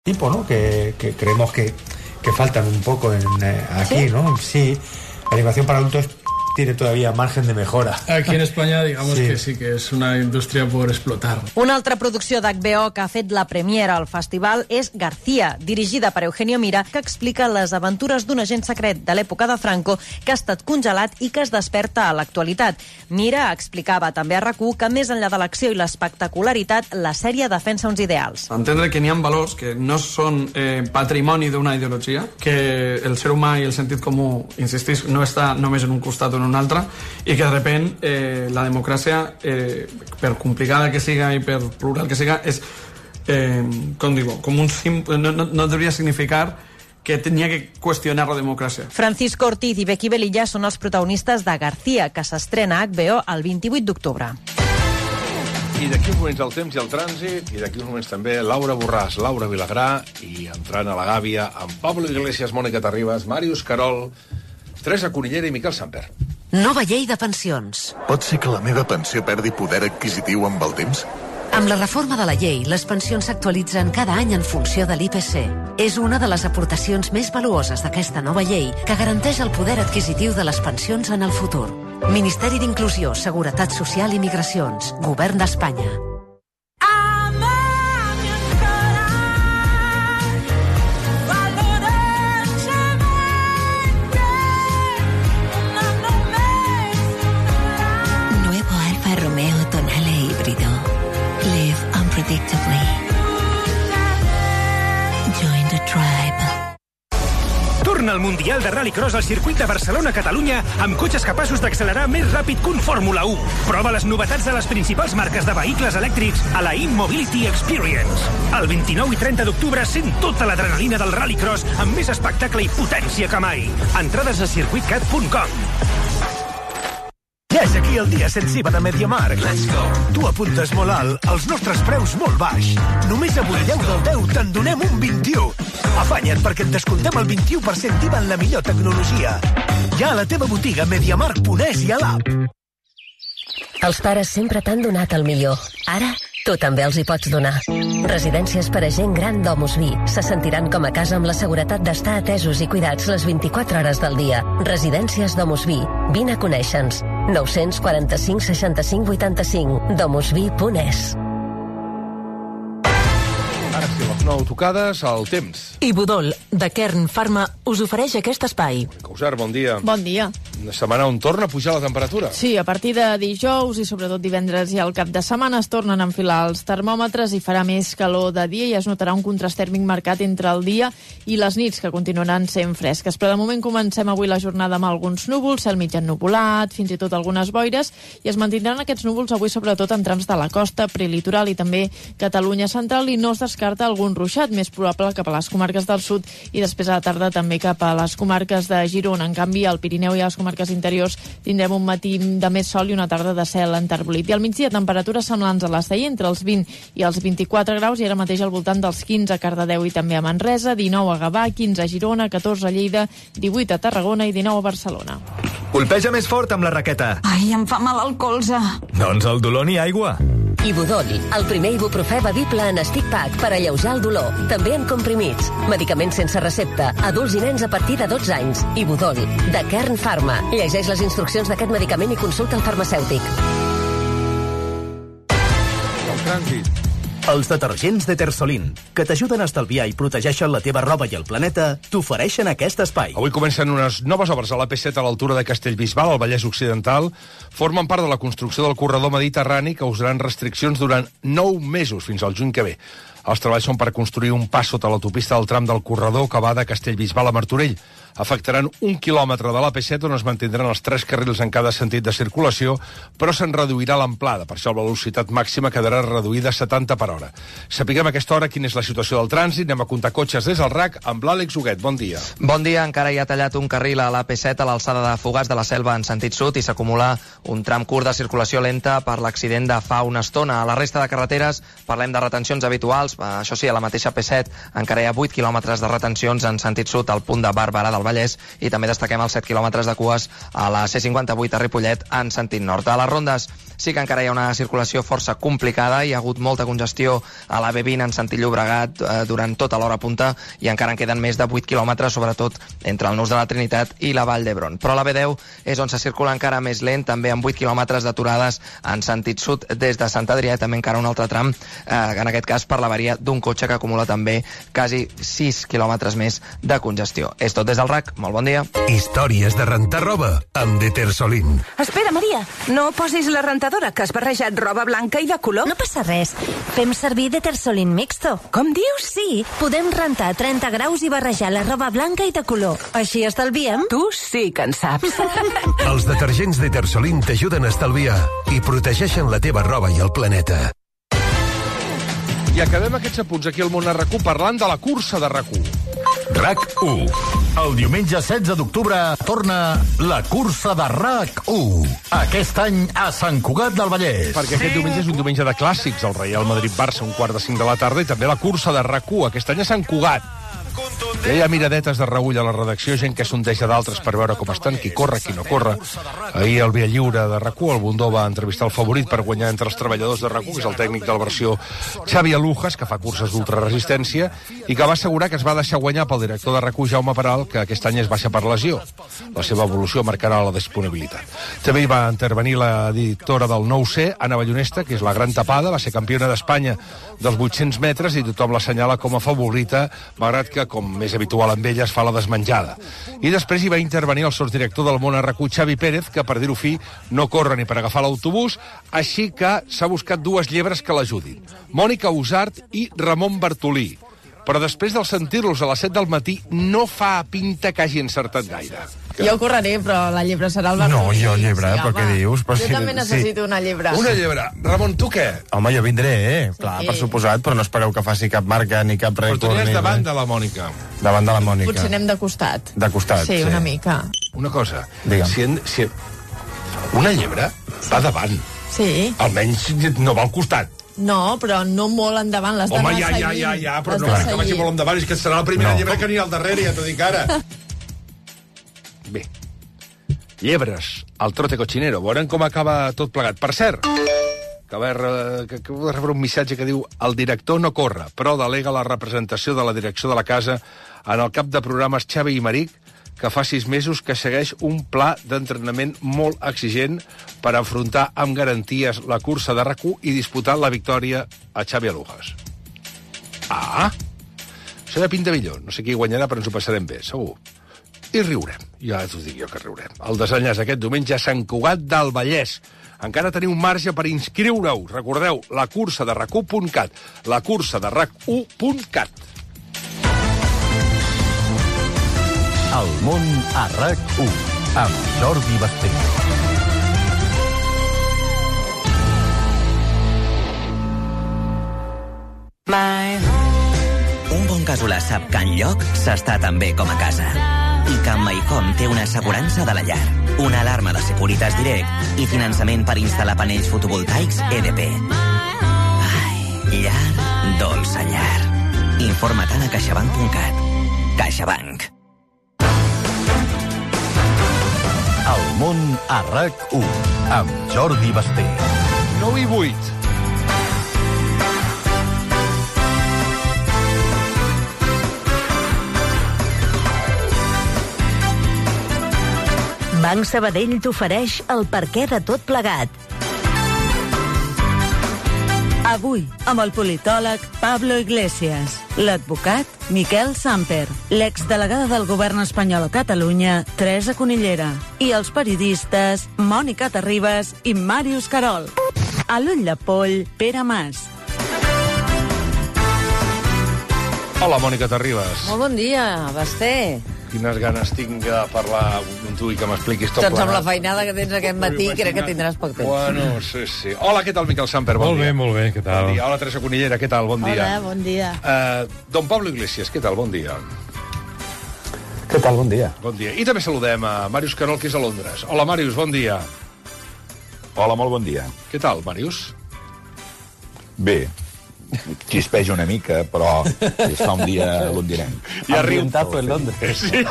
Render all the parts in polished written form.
tipo, ¿no? Que creemos que faltan un poco aquí, ¿sí? ¿No? Sí, la animación para adultos tiene todavía margen de mejora. Aquí en España, digamos que sí, que és una indústria por explotar. Una altra producció d'HBO que ha fet la premiera al festival és García, dirigida per Eugenio Mira, que explica les aventures d'un agent secret de l'època de Franco que ha estat congelat i que es desperta a l'actualitat. Mira explicava també a RAC1 que més enllà de l'acció i l'espectacularitat, la sèrie defensa uns ideals. Entendre que n'hi ha valors que no són patrimoni d'una ideologia, que el ser humà i el sentit comú, insistís, no està només en un costat o en un altre, i que de repent la democràcia, per complicada que siga i per plural que siga, és, com digo, com un no devia significar que tenia que qüestionar la democràcia. Francisco Ortiz i Becky Velilla són els protagonistes de García, que s'estrena a HBO el 28 d'octubre. I d'aquí uns moments el temps i el trànsit, i d'aquí uns moments també Laura Borràs, Laura Vilagrà, i entrant a la Gàbia, amb Pablo Iglesias, Mònica Terribas, Màrius Carol, Teresa Cunillera i Miquel Samper. Nova llei de pensions. Pot ser que la meva pensió perdi poder adquisitiu amb el temps? Amb la reforma de la llei, les pensions s'actualitzen cada any en funció de l'IPC. És una de les aportacions més valuoses d'aquesta nova llei que garanteix el poder adquisitiu de les pensions en el futur. Ministeri d'Inclusió, Seguretat Social i Migracions. Govern d'Espanya. Predictably. Join the tribe. Torna al Mundial de Rallycross al circuit de Barcelona-Catalunya amb cotxes capaços d'accelerar més ràpid que un Fórmula 1. Prova les novetats de les principals marques de vehicles elèctrics a la InMobility Experience. El 29 i 30 d'octubre sent tota l'adrenalina del Rallycross amb més espectacle i potència que mai. Entrades a circuitcat.com. Ja és aquí el dia sense IVA de MediaMarkt. Let's go! Tu apuntes molt alt, els nostres preus molt baix. Només avui 10 del 10 te'n donem un 21. Afanya't perquè et descontem el 21% d'IVA en la millor tecnologia. Ja a la teva botiga MediaMarkt.es i a l'app. Els pares sempre t'han donat el millor. Ara, tu també els hi pots donar. Residències per a gent gran d'Omusvi. Se sentiran com a casa amb la seguretat d'estar atesos i cuidats les 24 hores del dia. Residències d'Omusvi. Vine a conèixer-nos. 945 65 85. domusvi.es. Ara sí, les 9 tocades, el temps. I Budol, de Kern Pharma, us ofereix aquest espai. Causar, bon dia. Bon dia. Una setmana on torna a pujar la temperatura. Sí, a partir de dijous i sobretot divendres i al cap de setmana es tornen a enfilar els termòmetres i farà més calor de dia i es notarà un contrast tèrmic marcat entre el dia i les nits, que continuaran sent fresques. Però de moment comencem avui la jornada amb alguns núvols, cel mig ennuvolat, fins i tot algunes boires, i es mantindran aquests núvols avui sobretot en trams de la costa, prelitoral i també Catalunya central, i no es descarta algun ruixat, més probable cap a les comarques del sud i després a la tarda també cap a les comarques de Girona. En canvi, al Pirineu i a les comarques interiors tindrem un matí de més sol i una tarda de cel enterbolit. I al migdia temperatures semblants a les d'ahir, entre els 20 i els 24 graus, i ara mateix al voltant dels 15 a Cardedeu i també a Manresa, 19 a Gavà, 15 a Girona, 14 a Lleida, 18 a Tarragona i 19 a Barcelona. Colpeja més fort amb la raqueta. Ai, em fa mal el colze. Doncs el dolor ni aigua. Ibudol, el primer ibuprofè bevible en stick pack per alleujar el dolor. També en comprimits. Medicaments sense recepta. Adults i nens a partir de 12 anys. Ibudol, de Kern Pharma. Llegeix les instruccions d'aquest medicament i consulta el farmacèutic. El trànsit. Els detergents de Tersolin, que t'ajuden a estalviar i protegeixen la teva roba i el planeta, t'ofereixen aquest espai. Avui comencen unes noves obres a l'AP7 a l'altura de Castellbisbal, al Vallès Occidental. Formen part de la construcció del corredor mediterrani, que usaran restriccions durant 9 mesos, fins al juny que ve. Els treballs són per construir un pas sota l'autopista del tram del corredor que va de Castellbisbal a Martorell. Afectaran 1 quilòmetre de l'AP7 on es mantindran els 3 carrils en cada sentit de circulació, però se'n reduirà l'amplada. Per això la velocitat màxima quedarà reduïda a 70 per hora. Sapiguem a aquesta hora quina és la situació del trànsit. Anem a comptar cotxes des del RAC amb l'Àlex Huguet. Bon dia. Bon dia. Encara hi ha tallat un carril a l'AP7 a l'alçada de Fogars de la Selva en sentit sud i s'acumula un tram curt de circulació lenta per l'accident de fa una estona. A la resta de carreteres parlem de retencions habituals. Això sí, a la mateixa P7 encara hi ha 8 quilòmetres de retencions en sentit sud al punt de Barberà del Vallès, i també destaquem els 7 quilòmetres de cues a la C58 a Ripollet en sentit nord. A les rondes sí que encara hi ha una circulació força complicada, hi ha hagut molta congestió a la B20 en sentit Llobregat durant tota l'hora punta i encara en queden més de 8 quilòmetres, sobretot entre el Nus de la Trinitat i la Vall d'Hebron. Però la B10 és on se circula encara més lent, també amb 8 quilòmetres d'aturades en sentit sud des de Sant Adrià, també encara un altre tram, en aquest cas per l'avaria d'un cotxe que acumula també quasi 6 quilòmetres més de congestió. És tot des del RAC, molt bon dia. Històries de rentar roba amb Detersolin. Espera, Maria, no posis la rentadora, que has barrejat roba blanca i de color. No passa res. Fem servir Detersolin Mixto. Com dius? Sí, podem rentar 30 graus i barrejar la roba blanca i de color. Així estalviem. Tu sí que en saps. Els detergents Detersolin t'ajuden a estalviar i protegeixen la teva roba i el planeta. I acabem aquests apunts aquí al Món a RAC1 parlant de la cursa de RAC1. RAC1. El diumenge 16 d'octubre torna la cursa de RAC1. Aquest any a Sant Cugat del Vallès. Perquè aquest diumenge és un diumenge de clàssics, el Real Madrid-Barça, 4:45 de la tarda, i també la cursa de RAC1, aquest any a Sant Cugat. Ja hi ha miradetes de reull a la redacció, gent que sondeja d'altres per veure com estan, qui corre, qui no corre. Ahir el Via Lliure de RAC1, el Bundó va entrevistar el favorit per guanyar entre els treballadors de RAC1, que és el tècnic de la versió Xavi Alujas, que fa curses d'ultraresistència, i que va assegurar que es va deixar guanyar pel director de RAC1, Jaume Peral, que aquest any es baixa per lesió. La seva evolució marcarà la disponibilitat. També hi va intervenir la editora del 9C, Anna Ballonesta, que és la gran tapada, va ser campiona d'Espanya dels 800 metres i tothom l'assenyala com a favorita, malgrat que, com més habitual amb ella, es fa la desmenjada. I després hi va intervenir el sotsdirector del Món a RAC1, Xavi Pérez, que, per dir-ho fi, no corre ni per agafar l'autobús, així que s'ha buscat dues llebres que l'ajudin. Mònica Usart i Ramon Bartolí. Però després del sentir-los a les 7 del matí no fa pinta que hagi encertat gaire. Jo correré, però la llebre serà el Bartolí. No, jo llebre, però què dius? Però jo també necessito una llebre. Una llebre. Ramon, tu què? Home, jo vindré, clar, per suposat, però no espereu que faci cap marca ni cap rècord. Però tu anies davant de la Mònica. Davant de la Mònica. Potser anem de costat. De costat, sí. Una mica. Una cosa. Digue'm. Si una llebre va davant. Sí. Almenys no va al costat. No, però no molt endavant, les d'anar seguint. Home, ja, però no que vagi molt endavant, és que serà la primera llebre que anirà al darrere, ja t'ho dic ara. Bé, llebres, al trote cochinero, veurem com acaba tot plegat. Per cert, que va rebre un missatge que diu: el director no corre, però delega la representació de la direcció de la casa en el cap de programes Xavi i Maric, que fa 6 mesos que segueix un pla d'entrenament molt exigent per afrontar amb garanties la cursa de RAC1 i disputar la victòria a Xavi Alujas. Ah! Això ja pinta millor. No sé qui guanyarà, però ens ho passarem bé, segur. I riurem. Ja t'ho dic jo que riurem. El desenllaç aquest diumenge a Sant Cugat del Vallès. Encara teniu marge per inscriure-us. Recordeu, la cursa de RAC1.cat. La cursa de RAC1.cat. El món a RAC1 amb Jordi Basté. Un bon casolà sap que enlloc s'està tan bé com a casa. I que amb Maicom té una assegurança de la llar, una alarma de Securitas Direct i finançament per instal·lar panells fotovoltaics EDP. Ai, llar, dolça llar. Informa't a caixabank.cat. CaixaBank. El món a RAC1 amb Jordi Basté. 9 i 8. Banc Sabadell t'ofereix el perquè de tot plegat. Avui, amb el politòleg Pablo Iglesias, l'advocat Miquel Samper, l'exdelegada del govern espanyol a Catalunya, Teresa Conillera, i els periodistes Mònica Terribas i Màrius Carol. A l'ull de poll, Pere Mas. Hola, Mònica Terribas. Molt bon dia, Basté. Quines ganes tinc de parlar amb tu i que m'expliquis tot doncs amb la feinada que tens aquest matí, crec que tindràs poc temps. Bueno, sí. Hola, què tal, Miquel Samper? Bon dia. Molt bé, què tal? Bon dia. Hola, Teresa Conillera, què tal? Bon dia. Hola, bon dia. Don Pablo Iglesias, què tal? Bon dia. Què tal? Bon dia. Bon dia. I també saludem a Màrius Carol, que és a Londres. Hola, Màrius, bon dia. Hola, molt bon dia. Què tal, Màrius? Bé, xispeja una mica, però es fa un dia londinenc. Ja riu. Ambientazo en Londres. Sí.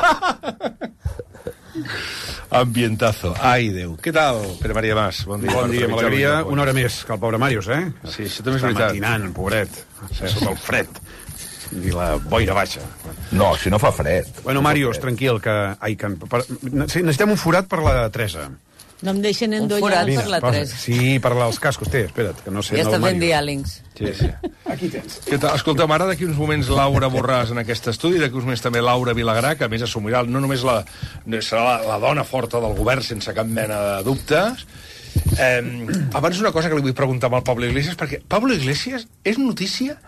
Ambientazo. Ai, Déu. Què tal, Pere Maria Mas? Bon dia. Bon dia, m'alegria una hora més que el pobre Màrius, eh? Sí, això també és veritat. Està matinant, pobret. Sota el fred. I la boira baixa. No, si no fa fred. Bueno, Màrius, tranquil, que... Sí, necessitem un forat per la Teresa. No em deixen endollar per la Teresa. Sí, per als cascos, espera't, que no sé... Ja està fent diàlings. Sí. Aquí tens. Què tal? Escolta'm, ara d'aquí uns moments Laura Borràs en aquest estudi, d'aquí uns moments també Laura Vilagrà, que a més assumirà no només serà la dona forta del govern sense cap mena de dubtes. Abans una cosa que li vull preguntar al Pablo Iglesias, perquè Pablo Iglesias és notícia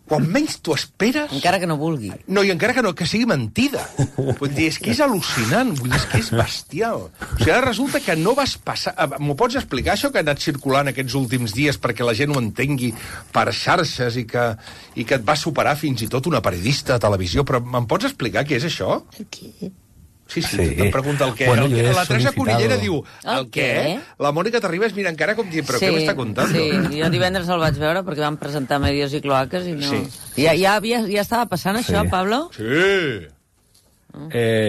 quan menys t'ho esperes... Encara que no vulgui. No, i encara que sigui mentida. Vull dir, és que és al·lucinant, vull dir, és que és bestial. O sigui, ara resulta que no vas passar... M'ho pots explicar, això que ha anat circulant aquests últims dies perquè la gent ho entengui per xarxes i que et va superar fins i tot una periodista de televisió, però me'n pots explicar què és això? Què? Sí, em pregunta el què. Bueno, la Teresa Cunillera diu el què? què? La Mònica Terribas mira encara com dient, però què m'està contant? Sí, jo divendres el vaig veure perquè van presentar Medios i Cloaques i no... Sí. Ja estava passant això, Pablo? Sí.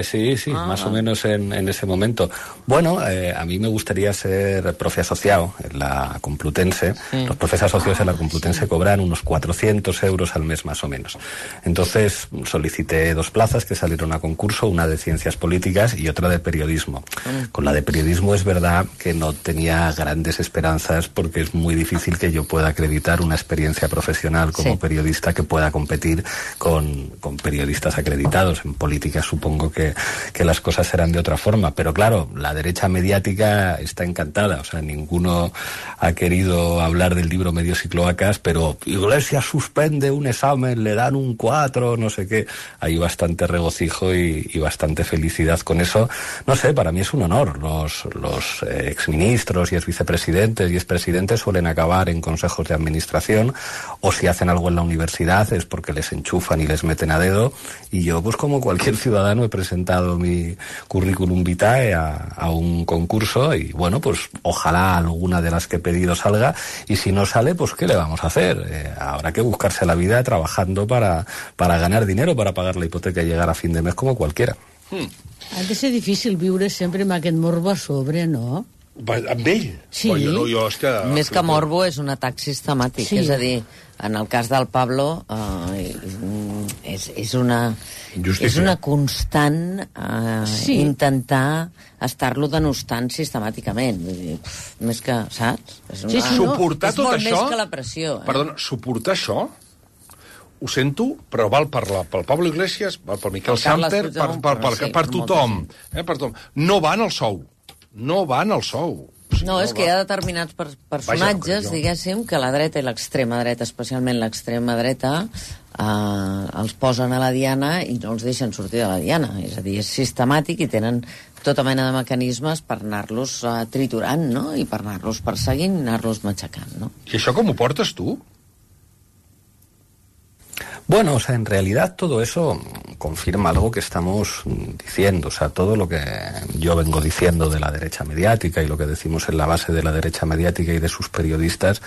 Sí, más o menos en ese momento. Bueno, a mí me gustaría ser profe asociado en la Complutense. Sí. Los profes asociados en la Complutense cobran unos 400 euros al mes más o menos. Entonces solicité 2 plazas que salieron a concurso, una de Ciencias Políticas y otra de Periodismo. Con la de Periodismo es verdad que no tenía grandes esperanzas porque es muy difícil que yo pueda acreditar una experiencia profesional como periodista que pueda competir con periodistas acreditados. En política supongo que las cosas serán de otra forma, pero claro, la derecha mediática está encantada, o sea, ninguno ha querido hablar del libro Medios y Cloacas, pero Iglesias suspende un examen, le dan un 4, no sé qué. Hay bastante regocijo y bastante felicidad con eso. No sé, para mí es un honor. Los exministros y exvicepresidentes y expresidentes suelen acabar en consejos de administración, o si hacen algo en la universidad es porque les enchufan y les meten a dedo, y yo, pues como cualquier ciudadano, he presentado mi currículum vitae a un concurso y bueno, pues ojalá alguna de las que he pedido salga, y si no sale, pues ¿qué le vamos a hacer? Habrá que buscarse la vida trabajando para ganar dinero, para pagar la hipoteca y llegar a fin de mes como cualquiera. Ha de ser difícil viure sempre amb aquest morbo a sobre, no? Amb ell? Sí. No, jo és que... Més que morbo és un atac sistemàtic, Sí. és a dir, en el cas del Pablo és una constant intentar estar-lo denostant sistemàticament. Vull dir, més que, saps? Suportar tot és molt això... més que la pressió. Perdona, suportar això... Ho sento, però val pel Pablo Iglesias, val pel Miquel Samper, per tothom. Per tothom. No van al sou. No van al sou. No, és que hi ha determinats personatges, diguéssim, que la dreta i l'extrema dreta, especialment l'extrema dreta, els posen a la diana i no els deixen sortir de la diana. És a dir, és sistemàtic i tenen tota mena de mecanismes per anar-los triturant, no? I per anar-los perseguint i anar-los matxacant, no? I això com ho portes tu? Bueno, o sea, en realidad todo eso confirma algo que estamos diciendo. O sea, todo lo que yo vengo diciendo de la derecha mediática y lo que decimos en la base de la derecha mediática y de sus periodistas,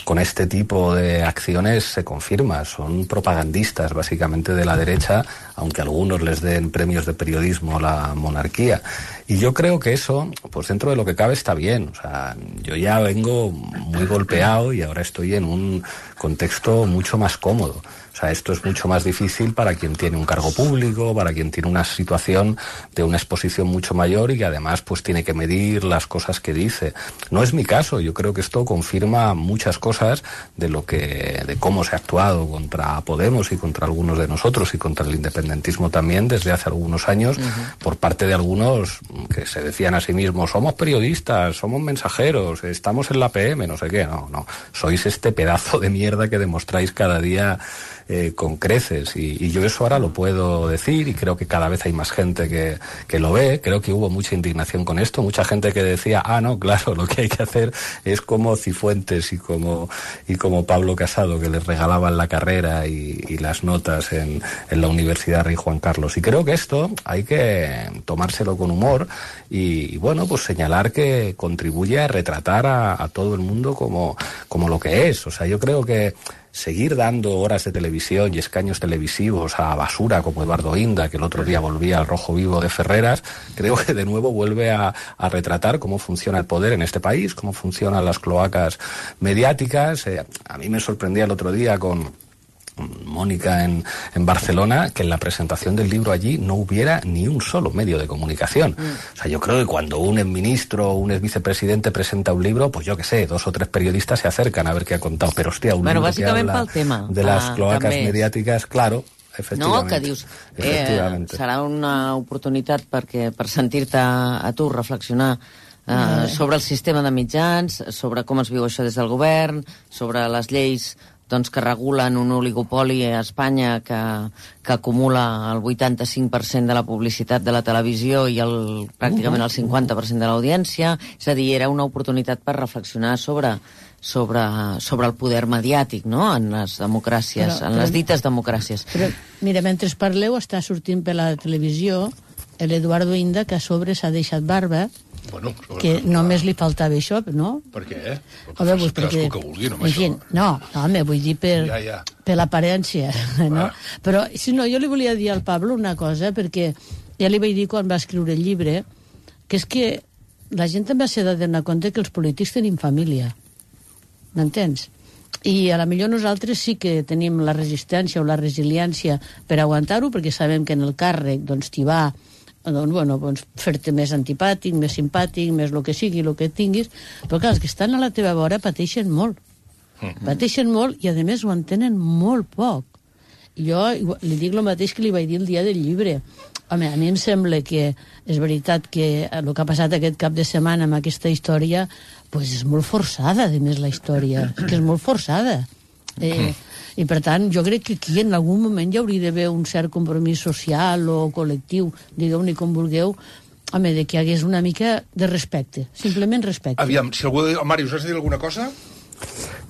con este tipo de acciones se confirma. Son propagandistas, básicamente, de la derecha, aunque algunos les den premios de periodismo a la monarquía. Y yo creo que eso, pues dentro de lo que cabe, está bien. O sea, yo ya vengo muy golpeado y ahora estoy en un contexto mucho más cómodo. O sea, esto es mucho más difícil para quien tiene un cargo público, para quien tiene una situación de una exposición mucho mayor y que además pues tiene que medir las cosas que dice. No es mi caso. Yo creo que esto confirma muchas cosas de cómo se ha actuado contra Podemos y contra algunos de nosotros y contra el independentismo también desde hace algunos años por parte de algunos que se decían a sí mismos: somos periodistas, somos mensajeros, estamos en la PM, no sé qué. No. Sois este pedazo de mierda que demostráis cada día con creces, y yo eso ahora lo puedo decir, y creo que cada vez hay más gente que lo ve. Creo que hubo mucha indignación con esto, mucha gente que decía, no, claro, lo que hay que hacer es como Cifuentes y como Pablo Casado, que les regalaban la carrera y las notas en la Universidad Rey Juan Carlos. Y creo que esto hay que tomárselo con humor y bueno, pues señalar que contribuye a retratar a todo el mundo como lo que es. O sea, yo creo que seguir dando horas de televisión y escaños televisivos a basura como Eduardo Inda, que el otro día volvía al Rojo Vivo de Ferreras, creo que de nuevo vuelve a retratar cómo funciona el poder en este país, cómo funcionan las cloacas mediáticas. A mí me sorprendía el otro día con Mónica en Barcelona, que en la presentación del libro allí no hubiera ni un solo medio de comunicación. O sea, yo creo que cuando un exministro o un exvicepresidente presenta un libro, pues yo qué sé, 2 o 3 periodistas se acercan a ver qué ha contado, però hòstia, un libro que habla de las cloacas mediàtiques, claro, efectivament. No, que dius, serà una oportunitat per sentir-te a tu reflexionar sobre el sistema de mitjans, sobre com es viu això des del govern, sobre les lleis que regulen un oligopoli a Espanya que acumula el 85% de la publicitat de la televisió i pràcticament el 50% de l'audiència. És a dir, era una oportunitat per reflexionar sobre el poder mediàtic, no?, en les democràcies, en les dites democràcies. Però, mira, mentre parleu, està sortint per la televisió l'Eduardo Inda, que a sobre s'ha deixat barba, que només li faltava això, no? Per què? Home, doncs perquè... que vulgui, no, això. No, home, vull dir per l'aparència, no? Però, si no, jo li volia dir al Pablo una cosa, perquè ja li vaig dir quan va escriure el llibre, que és que la gent també s'ha de donar compte que els polítics tenim família, m'entens? I a la millor nosaltres sí que tenim la resistència o la resiliència per aguantar-ho, perquè sabem que en el càrrec t'hi va fer-te més antipàtic, més simpàtic, més el que sigui, el que tinguis, però clar, els que estan a la teva vora pateixen molt. Pateixen molt i, a més, ho entenen molt poc. Jo li dic el mateix que li vaig dir el dia del llibre. Home, a mi em sembla que és veritat que el que ha passat aquest cap de setmana amb aquesta història és molt forçada, a més, la història. És que és molt forçada. I, per tant, jo crec que aquí en algun moment hi hauria d'haver un cert compromís social o col·lectiu, digueu-ne com vulgueu, home, de que hi hagués una mica de respecte, simplement respecte. Aviam, si algú... Màrius, has de dir alguna cosa?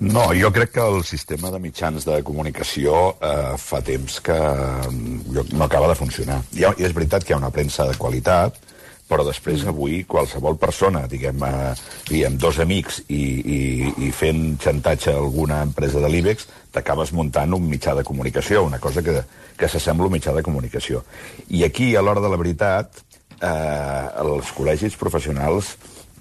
No, jo crec que el sistema de mitjans de comunicació fa temps que no acaba de funcionar. I és veritat que hi ha una premsa de qualitat, però després avui qualsevol persona, diguem, amb 2 amics i fent xantatge a alguna empresa de l'IBEX, t'acabes muntant un mitjà de comunicació, una cosa que s'assembla a un mitjà de comunicació. I aquí, a l'hora de la veritat, els col·legis professionals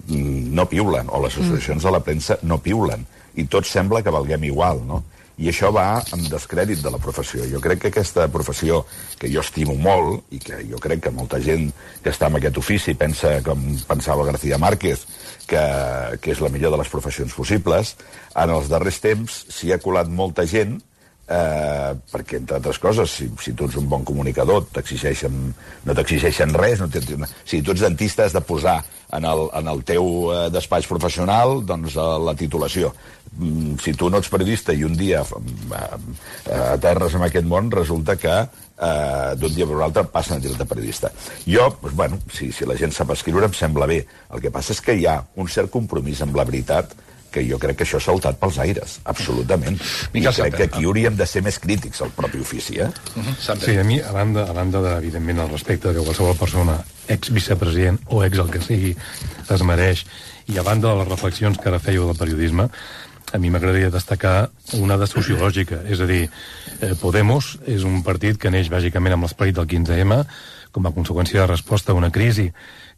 no piulen, o les associacions de la premsa no piulen, i tot sembla que valguem igual, no? I això va en descrèdit de la professió. Jo crec que aquesta professió, que jo estimo molt, i que jo crec que molta gent que està en aquest ofici pensa com pensava García Márquez, que és la millor de les professions possibles, en els darrers temps s'hi ha colat molta gent, perquè, entre altres coses, si tu ets un bon comunicador, no t'exigeixen res, si tu ets dentista has de posar en el teu despatx professional doncs la titulació. Si tu no ets periodista i un dia aterres en aquest món, resulta que d'un dia per l'altre passen a dir-te periodista. Jo, si la gent sap escriure em sembla bé. El que passa és que hi ha un cert compromís amb la veritat que jo crec que això ha saltat pels aires, absolutament. I crec que aquí hauríem de ser més crítics al propi ofici, Sí, a mi, a banda evidentment, el respecte que qualsevol persona, ex-vicepresident o ex el que sigui, es mereix, i a banda de les reflexions que ara fèieu del periodisme, a mi m'agradaria destacar una de sociològica, és a dir, Podemos és un partit que neix bàsicament amb l'esperit del 15M com a conseqüència de resposta a una crisi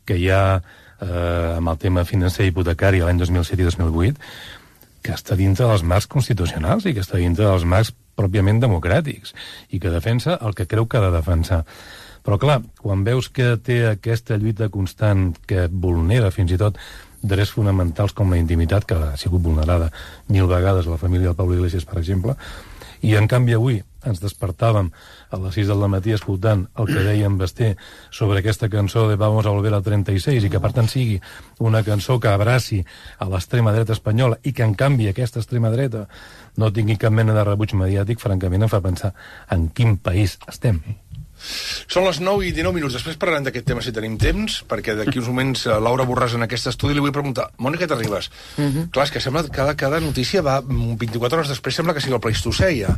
que hi ha amb el tema financer i hipotecari l'any 2007 i 2008, que està dintre dels marcs constitucionals i que està dintre dels marcs pròpiament democràtics i que defensa el que creu que ha de defensar. Però, clar, quan veus que té aquesta lluita constant que vulnera fins i tot drets fonamentals com la intimitat, que ha sigut vulnerada 1000 vegades a la família del Pablo Iglesias, per exemple, i en canvi avui ens despertàvem a les 6 del matí escoltant el que deia en Basté sobre aquesta cançó de Vamos a volver al 36 i que per tant sigui una cançó que abraci a l'extrema dreta espanyola i que en canvi aquesta extrema dreta no tingui cap mena de rebuig mediàtic, francament em fa pensar en quin país estem. Són les 9 i 19 minuts. Després parlarem d'aquest tema si tenim temps, perquè d'aquí uns moments Laura Borràs en aquest estudi li vull preguntar, Mònica Terribas, clar, és que sembla que cada notícia va 24 hores després, sembla que sigui el Pleistocè ja.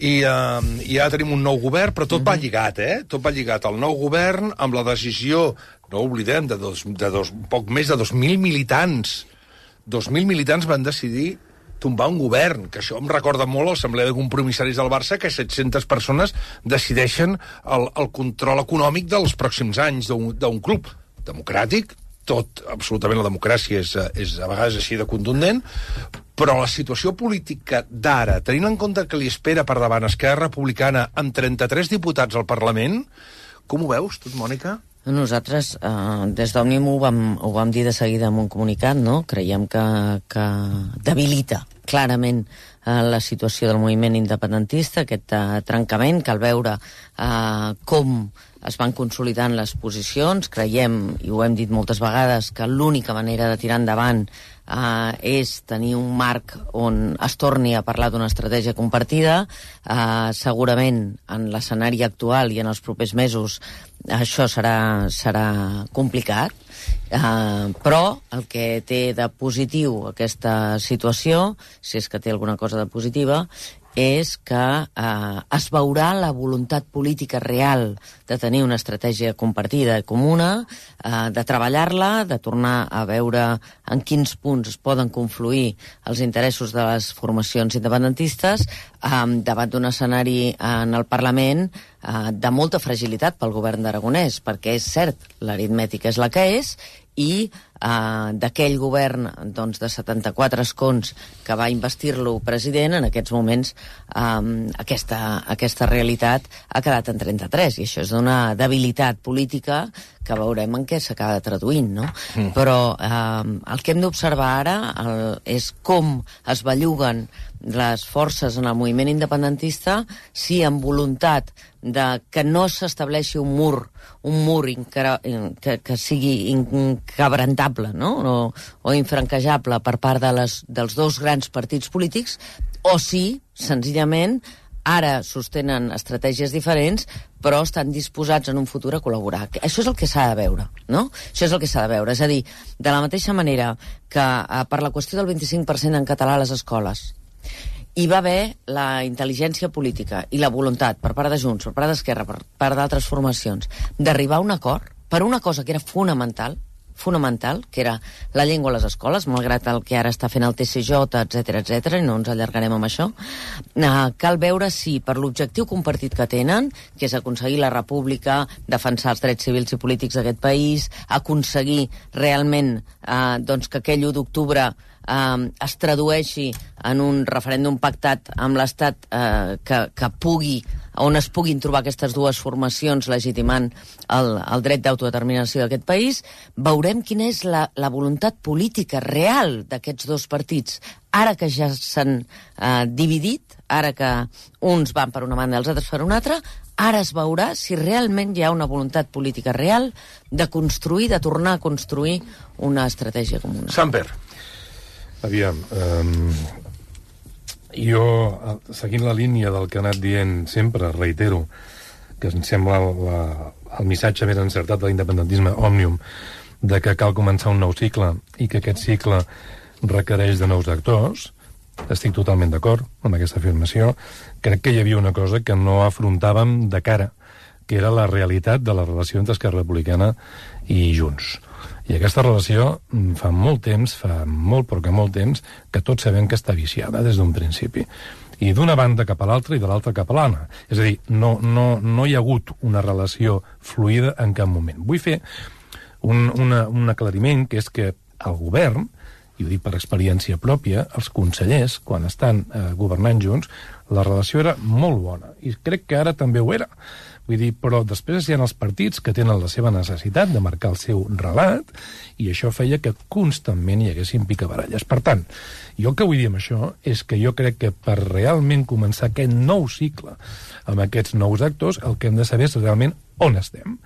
I ja tenim un nou govern, però tot va lligat, Tot va lligat al nou govern amb la decisió, no oblidem, de poc més de 2.000 militants. 2.000 militants van decidir tombar un govern, que això em recorda molt l'Assemblea de Compromissaris del Barça, que 700 persones decideixen el control econòmic dels pròxims anys d'un club democràtic. Absolutament la democràcia és a vegades així de contundent, però la situació política d'ara, tenint en compte que li espera per davant Esquerra Republicana amb 33 diputats al Parlament, com ho veus, tu, Mònica? Nosaltres, des d'Òmnium ho vam dir de seguida en un comunicat, no? Creiem que debilita clarament la situació del moviment independentista, aquest trencament, cal veure com es van consolidant les posicions. Creiem, i ho hem dit moltes vegades, que l'única manera de tirar endavant és tenir un marc on es torni a parlar d'una estratègia compartida. Segurament en l'escenari actual i en els propers mesos això serà complicat, però el que té de positiu aquesta situació, si és que té alguna cosa de positiva, és que es veurà la voluntat política real de tenir una estratègia compartida i comuna, de treballar-la, de tornar a veure en quins punts es poden confluir els interessos de les formacions independentistes davant d'un escenari en el Parlament de molta fragilitat pel govern d'Aragonès, perquè és cert, l'aritmètica és la que és, i d'aquell govern de 74 escons que va investir-lo president, en aquests moments aquesta realitat ha quedat en 33, i això és d'una debilitat política que veurem en què s'acaba traduint, no? Però el que hem d'observar ara és com es belluguen les forces en el moviment independentista, si amb voluntat de que no s'estableixi un mur que sigui inquebrantable, no? o infranquejable per part dels dos grans partits polítics, o si, senzillament, ara sostenen estratègies diferents, però estan disposats en un futur a col·laborar. Això és el que s'ha de veure, no? Això és el que s'ha de veure. És a dir, de la mateixa manera que per la qüestió del 25% en català a les escoles hi va haver la intel·ligència política i la voluntat per part de Junts, per part d'Esquerra, per part d'altres formacions, d'arribar a un acord per una cosa que era fonamental, que era la llengua a les escoles, malgrat el que ara està fent el TCJ, etc, i no ens allargarem amb això. Cal veure si, per l'objectiu compartit que tenen, que és aconseguir la república, defensar els drets civils i polítics d'aquest país, aconseguir realment que aquell 1 d'octubre es tradueixi en un referèndum pactat amb l'Estat on es puguin trobar aquestes dues formacions legitimant el dret d'autodeterminació d'aquest país, veurem quina és la voluntat política real d'aquests dos partits, ara que ja s'han dividit, ara que uns van per una banda i els altres per una altra. Ara es veurà si realment hi ha una voluntat política real de construir, de tornar a construir una estratègia comuna. Samper. Aviam, jo, seguint la línia del que ha anat dient sempre, reitero, que em sembla el missatge més encertat de l'independentisme Òmnium, de que cal començar un nou cicle i que aquest cicle requereix de nous actors, estic totalment d'acord amb aquesta afirmació. Crec que hi havia una cosa que no afrontàvem de cara, que era la realitat de la relació entre Esquerra Republicana i Junts. I aquesta relació fa molt temps, que tots sabem que està viciada des d'un principi. I d'una banda cap a l'altra i de l'altra cap a l'altra. És a dir, no hi ha hagut una relació fluida en cap moment. Vull fer un aclariment, que és que el govern, i ho dic per experiència pròpia, els consellers, quan estan governant junts, la relació era molt bona. I crec que ara també ho era. Vull dir, però després hi ha els partits que tenen la seva necessitat de marcar el seu relat, i això feia que constantment hi haguessin picabaralles. Per tant, jo el que vull dir amb això és que jo crec que per realment començar aquest nou cicle amb aquests nous actors, el que hem de saber és realment on estem.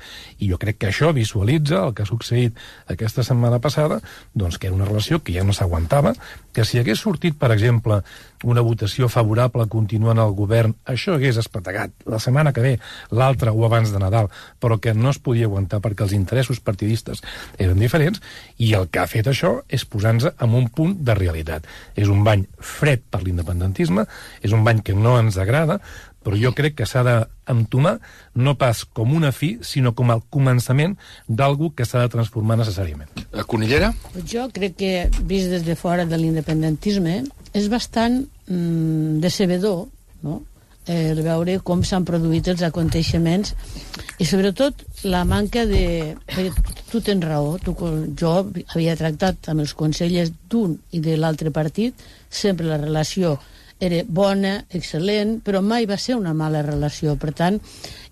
I jo crec que això visualitza el que ha succeït aquesta setmana passada, doncs que era una relació que ja no s'aguantava, que si hagués sortit, per exemple, una votació favorable continuant el govern, això hagués espetegat la setmana que ve, l'altra o abans de Nadal, però que no es podia aguantar perquè els interessos partidistes eren diferents, i el que ha fet això és posar-nos en un punt de realitat. És un bany fred per l'independentisme, és un bany que no ens agrada, però jo crec que s'ha d'entomar no pas com una fi, sinó com el començament d'algú que s'ha de transformar necessàriament. Conillera? Jo crec que, vist des de fora de l'independentisme, és bastant decebedor, no?, el veure com s'han produït els aconteixements i sobretot la manca de... Tu tens raó, jo havia tractat amb els consellers d'un i de l'altre partit, sempre la relació era bona, excel·lent, però mai va ser una mala relació. Per tant,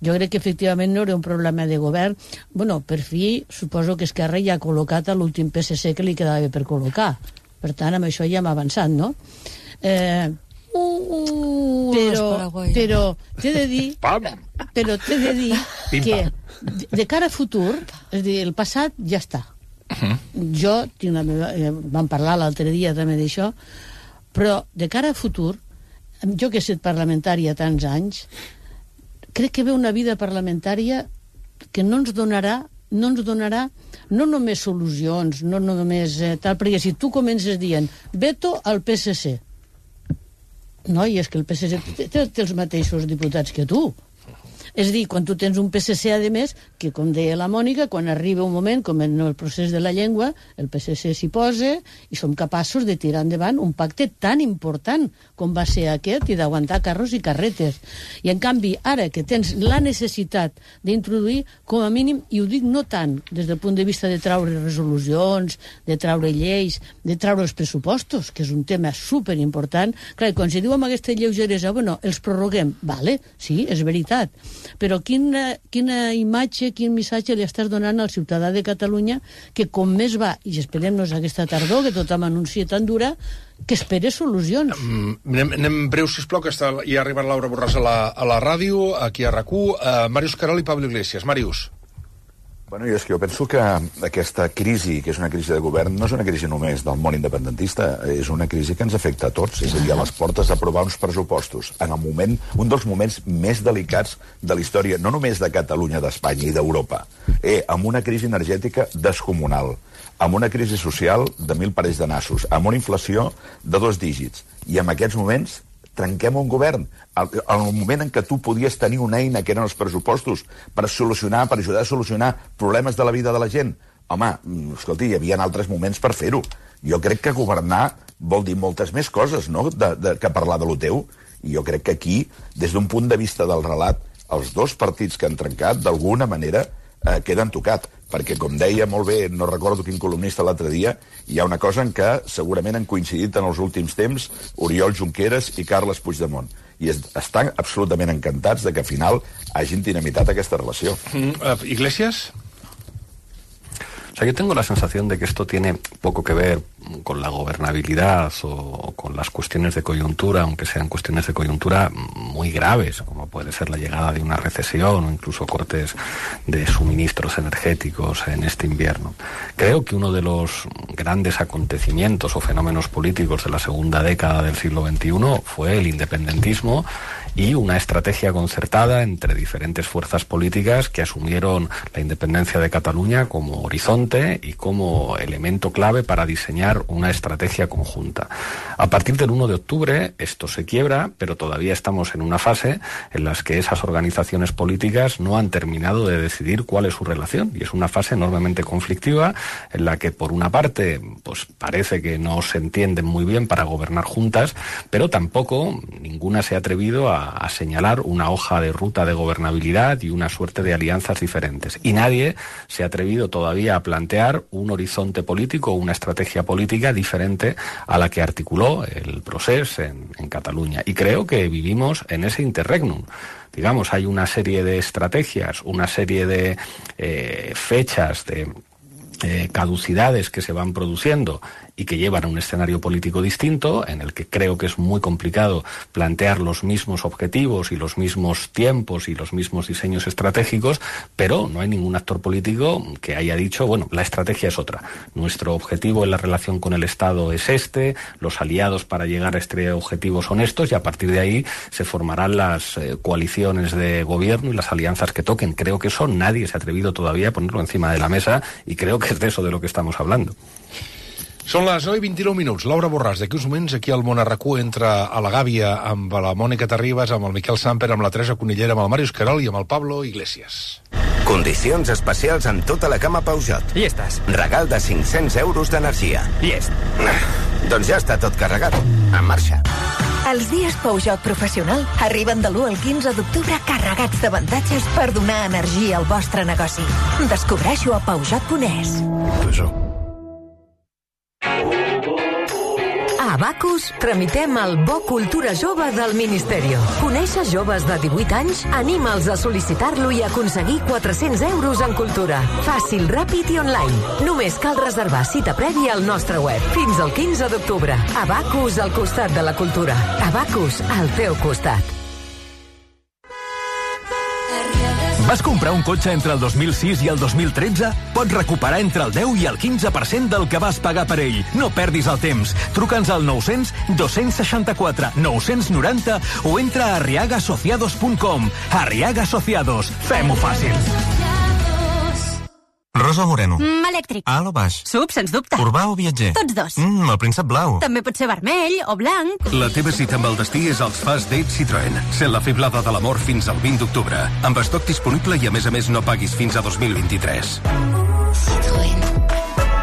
jo crec que efectivament no era un problema de govern. Bueno, per fi, suposo que Esquerra ja ha col·locat a l'últim PSC que li quedava per col·locar. Per tant, amb això ja hem avançat, no? Però t'he de dir que de cara a futur, és a dir, el passat ja està. Jo tinc la meva, vam parlar l'altre dia també d'això, però de cara a futur, jo que he estat parlamentària tants anys, crec que ve una vida parlamentària que no ens donarà no només solucions, no només tal, perquè si tu comences dient veto al PSC, no, i és que el PSC té els mateixos diputats que tu. És a dir, quan tu tens un PSC, a més, que, com deia la Mònica, quan arriba un moment, com en el procés de la llengua, el PSC s'hi posa i som capaços de tirar endavant un pacte tan important com va ser aquest i d'aguantar carros i carretes. I, en canvi, ara que tens la necessitat d'introduir, com a mínim, i ho dic no tant des del punt de vista de traure resolucions, de traure lleis, de traure els pressupostos, que és un tema superimportant. Clar, quan se diu amb aquesta lleugeresa, bueno, els prorroguem, vale, sí, és veritat, però quina imatge, quin missatge li estàs donant al ciutadà de Catalunya que com més va, i esperem-nos aquesta tardor, que tothom anuncia tan dura, que espere solucions. Anem breu, sisplau, que ja ha arribat Laura Borràs a la ràdio, aquí a RAC1. Màrius Querol i Pablo Iglesias. Màrius. Bueno, és que jo penso que aquesta crisi, que és una crisi de govern, no és una crisi només del món independentista, és una crisi que ens afecta a tots, és a dir, a les portes d'aprovar uns pressupostos, en el moment, un dels moments més delicats de la història, no només de Catalunya, d'Espanya i d'Europa, amb una crisi energètica descomunal, amb una crisi social de 1.000 parells de nassos, amb una inflació de 2 dígits, i en aquests moments trenquem un govern, al moment en què tu podies tenir una eina que eren els pressupostos per solucionar, per ajudar a solucionar problemes de la vida de la gent. Home, escolti, hi havia altres moments per fer-ho. Jo crec que governar vol dir moltes més coses, no?, que parlar de lo teu. I jo crec que aquí, des d'un punt de vista del relat, els dos partits que han trencat, d'alguna manera, queden tocat, perquè, com deia molt bé, no recordo quin columnista l'altre dia, hi ha una cosa en què segurament han coincidit en els últims temps Oriol Junqueras i Carles Puigdemont, i estan absolutament encantats de que al final hagin dinamitat aquesta relació. Iglesias? O sea, yo tengo la sensación de que esto tiene poco que ver con la gobernabilidad o con las cuestiones de coyuntura, aunque sean cuestiones de coyuntura muy graves, como puede ser la llegada de una recesión o incluso cortes de suministros energéticos en este invierno. Creo que uno de los grandes acontecimientos o fenómenos políticos de la segunda década del siglo XXI fue el independentismo y una estrategia concertada entre diferentes fuerzas políticas que asumieron la independencia de Cataluña como horizonte y como elemento clave para diseñar una estrategia conjunta. A partir del 1 de octubre esto se quiebra, pero todavía estamos en una fase en la que esas organizaciones políticas no han terminado de decidir cuál es su relación, y es una fase enormemente conflictiva en la que, por una parte, pues parece que no se entienden muy bien para gobernar juntas, pero tampoco ninguna se ha atrevido a señalar una hoja de ruta de gobernabilidad y una suerte de alianzas diferentes. Y nadie se ha atrevido todavía a plantear un horizonte político o una estrategia política diferente a la que articuló el Procés en Cataluña. Y creo que vivimos en ese interregnum. Digamos, hay una serie de estrategias, una serie de fechas, de caducidades que se van produciendo y que llevan a un escenario político distinto, en el que creo que es muy complicado plantear los mismos objetivos y los mismos tiempos y los mismos diseños estratégicos, pero no hay ningún actor político que haya dicho, bueno, la estrategia es otra. Nuestro objetivo en la relación con el Estado es este, los aliados para llegar a este objetivo son estos, y a partir de ahí se formarán las coaliciones de gobierno y las alianzas que toquen. Creo que eso nadie se ha atrevido todavía a ponerlo encima de la mesa, y creo que es de eso de lo que estamos hablando. Són les 9:29. Laura Borràs, d'aquí uns moments, aquí al món a RAC1, entra a la Gàbia amb la Mònica Terribas, amb el Miquel Samper, amb la Teresa Conillera, amb el Màrius Querol i amb el Pablo Iglesias. Condicions especials en tota la gamma Peugeot. Llestes. Regal de 500 euros d'energia. Llest. Doncs ja està tot carregat. En marxa. Els dies Peugeot Professional arriben de l'1 al 15 d'octubre carregats d'avantatges per donar energia al vostre negoci. Descobreixo a Peugeot.es. Peugeot. A Abacus tramitem el Bo Cultura Jove del Ministerio. Coneixes joves de 18 anys? Anima'ls a sol·licitar-lo i aconseguir 400 euros en cultura. Fàcil, ràpid i online. Només cal reservar cita prèvia al nostre web. Fins al 15 d'octubre. Abacus al costat de la cultura. Abacus al teu costat. Vas comprar un cotxe entre el 2006 i el 2013? Pots recuperar entre el 10 i el 15% del que vas pagar per ell. No perdis el temps. Truca'ns al 900 264 990 o entra a arriagasociados.com. Arriaga Asociados. Fem-ho fàcil. Rosa o moreno? Elèctric. Alt o baix? Sub, sens dubte. Urbà o viatger? Tots dos. El príncep blau. També pot ser vermell o blanc. La teva cita amb el destí és als Fast Date Citroën. Sent la fiblada de l'amor fins al 20 d'octubre. Amb estoc disponible i a més no paguis fins a 2023. Citroën.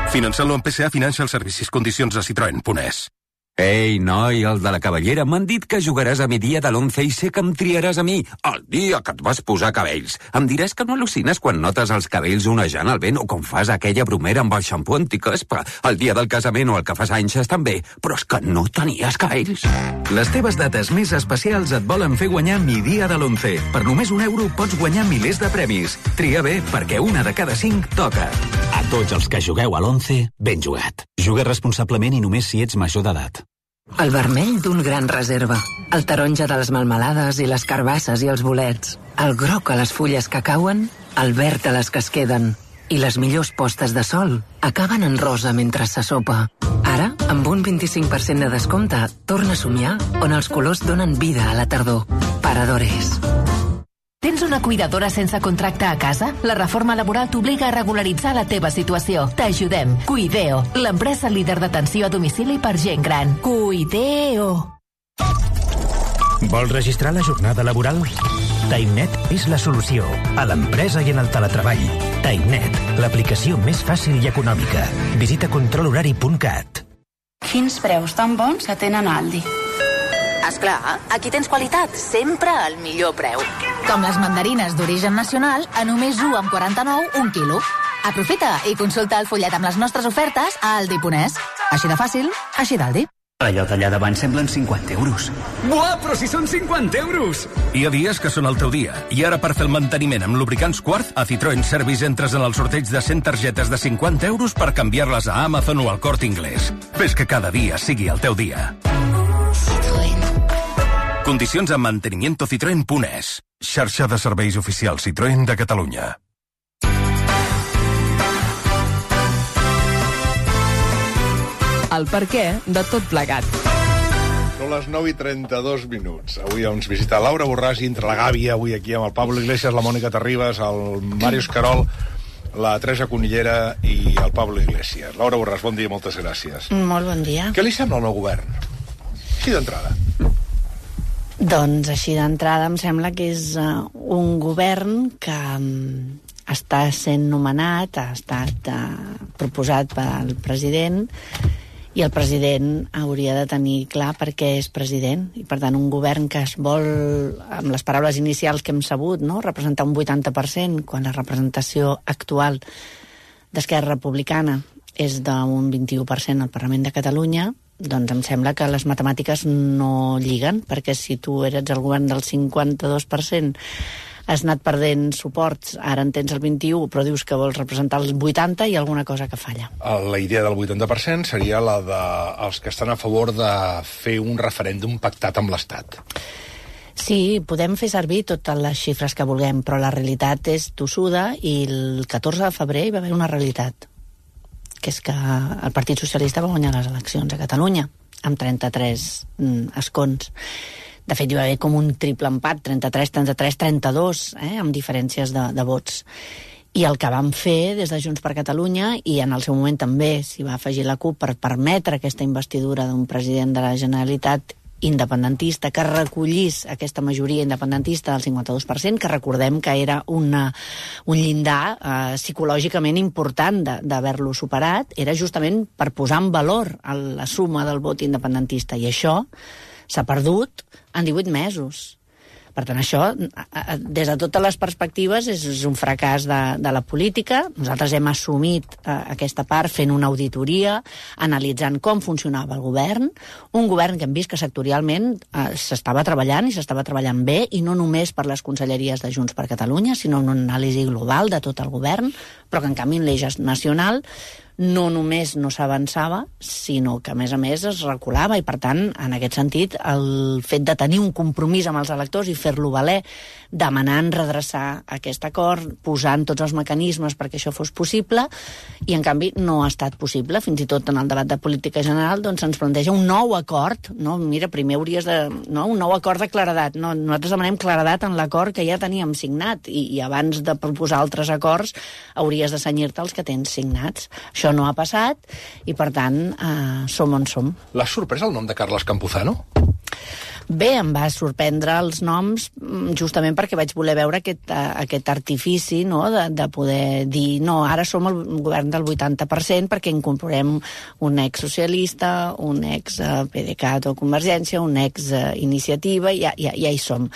Financeu-lo amb PSA Financial Services. Condicions a Citroën.es. Ei, noi, el de la Cavallera, m'han dit que jugaràs a mi dia de l'11 i sé que em triaràs a mi, el dia que et vas posar cabells. Em diràs que no al·lucines quan notes els cabells onejant al vent o com fas aquella bromera amb el xampú anticaspa. El dia del casament o el que fas anys estan bé, però és que no tenies cabells. Les teves dates més especials et volen fer guanyar mi dia de l'11. Per només €1 pots guanyar milers de premis. Tria bé, perquè una de cada 5 toca. A tots els que jugueu a l'11, ben jugat. Juga responsablement i només si ets major d'edat. El vermell d'un gran reserva, el taronja de les melmelades i les carbasses i els bolets, el groc a les fulles que cauen, el verd a les que es queden, i les millors postes de sol acaben en rosa mentre se sopa. Ara, amb un 25% de descompte, torna a somiar on els colors donen vida a la tardor. Paradores. Tens una cuidadora sense contracte a casa? La reforma laboral t'obliga a regularitzar la teva situació. T'ajudem. Cuideo, l'empresa líder d'atenció a domicili per gent gran. Cuideo. Vols registrar la jornada laboral? TimeNet és la solució a l'empresa i en el teletreball. TimeNet, l'aplicació més fàcil i econòmica. Visita controlhorari.cat. Quins preus tan bons que tenen a Aldi. Esclar, aquí tens qualitat, sempre al millor preu. Com les mandarines d'origen nacional a només 1,49 un quilo. Aprofita i consulta el fullet amb les nostres ofertes a Aldi.es. Així de fàcil, així d'Aldi. Allò d'allà davant semblen 50 euros. Buah, però si són 50 euros! Hi ha dies que són el teu dia. I ara per fer el manteniment amb lubricants Quartz, a Citroën Service entres en el sorteig de 100 targetes de 50 euros per canviar-les a Amazon o al Corte Inglés. Fes que cada dia sigui el teu dia. Condicions a mantenimientocitroen.es. Xarxa de serveis oficials Citroën de Catalunya. El perquè de tot plegat. Són les 9:32. Avui ens visita Laura Borràs i entre la gàbia, avui aquí amb el Pablo Iglesias, la Mònica Terribas, el Màrius Carol, la Teresa Conillera i el Pablo Iglesias. Laura Borràs, bon dia, moltes gràcies. Molt bon dia. Què li sembla el nou govern? Així d'entrada. Doncs així d'entrada em sembla que és un govern que està sent nomenat, ha estat proposat pel president, i el president hauria de tenir clar per què és president, i per tant un govern que es vol, amb les paraules inicials que hem sabut, no? Representar un 80%, quan la representació actual d'Esquerra Republicana és d'un 21% al Parlament de Catalunya, doncs em sembla que les matemàtiques no lliguen, perquè si tu eres el govern del 52%, has anat perdent suports, ara en tens el 21%, però dius que vols representar el 80% i alguna cosa que falla. La idea del 80% seria la dels que estan a favor de fer un referèndum pactat amb l'Estat. Sí, podem fer servir totes les xifres que vulguem, però la realitat és tossuda i el 14 de febrer hi va haver una realitat, que és que el Partit Socialista va guanyar les eleccions a Catalunya amb 33 escons. De fet, hi va haver com un triple empat, 33, 33, 32, amb diferències de vots. I el que vam fer des de Junts per Catalunya, i en el seu moment també s'hi va afegir la CUP per permetre aquesta investidura d'un president de la Generalitat independentista que recollís aquesta majoria independentista del 52%, que recordem que era un llindar psicològicament important d'haver-lo superat, era justament per posar en valor la suma del vot independentista, i això s'ha perdut en 18 mesos. Per tant, això, des de totes les perspectives, és un fracàs de la política. Nosaltres hem assumit aquesta part fent una auditoria, analitzant com funcionava el govern, un govern que hem vist que sectorialment s'estava treballant i s'estava treballant bé, i no només per les conselleries de Junts per Catalunya, sinó una anàlisi global de tot el govern, però que en canvi en l'eix nacional no només no s'avançava, sinó que, a més, es reculava, i, per tant, en aquest sentit, el fet de tenir un compromís amb els electors i fer-lo valer, demanant redreçar aquest acord, posant tots els mecanismes perquè això fos possible, i, en canvi, no ha estat possible. Fins i tot en el debat de política general doncs ens planteja un nou acord, no? Mira, primer hauries de... No? Un nou acord de claredat. No, nosaltres demanem claredat en l'acord que ja teníem signat, i abans de proposar altres acords hauries de cenyir-te els que tens signats. Això no ha passat, i, per tant, som on som. L'ha sorprès el nom de Carles Campuzano? Bé, em va sorprendre els noms justament perquè vaig voler veure aquest artifici, no?, de poder dir, no, ara som el govern del 80% perquè incorporem un ex-socialista, un ex-PDeCAT o Convergència, un ex-iniciativa, ja hi som.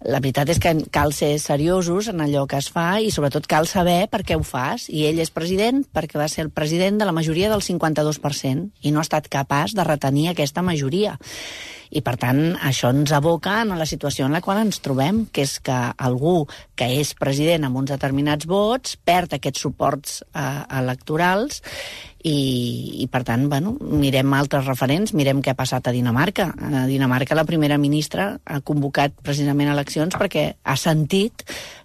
La veritat és que cal ser seriosos en allò que es fa, i sobretot cal saber per què ho fas. I ell és president perquè va ser el president de la majoria del 52% i no ha estat capaç de retenir aquesta majoria. I, per tant, això ens aboca en la situació en la qual ens trobem, que és que algú que és president amb uns determinats vots perd aquests suports electorals, i, per tant, bueno, mirem altres referents, mirem què ha passat a Dinamarca. A Dinamarca la primera ministra ha convocat precisament eleccions perquè ha sentit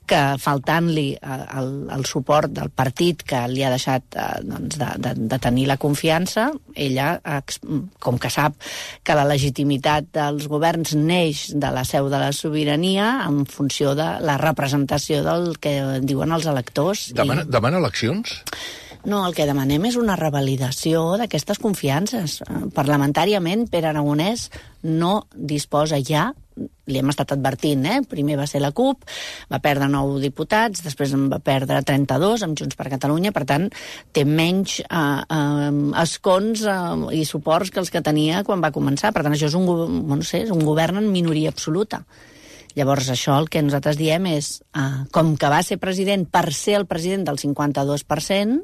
que, faltant-li el suport del partit que li ha deixat de tenir la confiança, ella, com que sap que la legitimitat dels governs neix de la seu de la sobirania en funció de la representació del que diuen els electors. Demana eleccions? No, el que demanem és una revalidació d'aquestes confiances. Parlamentàriament, Pere Aragonès no disposa ja, li hem estat advertint, primer va ser la CUP, va perdre 9 diputats, després en va perdre 32 amb Junts per Catalunya, per tant, té menys escons i suports que els que tenia quan va començar. Per tant, això és un govern en minoria absoluta. Llavors, això el que nosaltres diem és, com que va ser president per ser el president del 52%,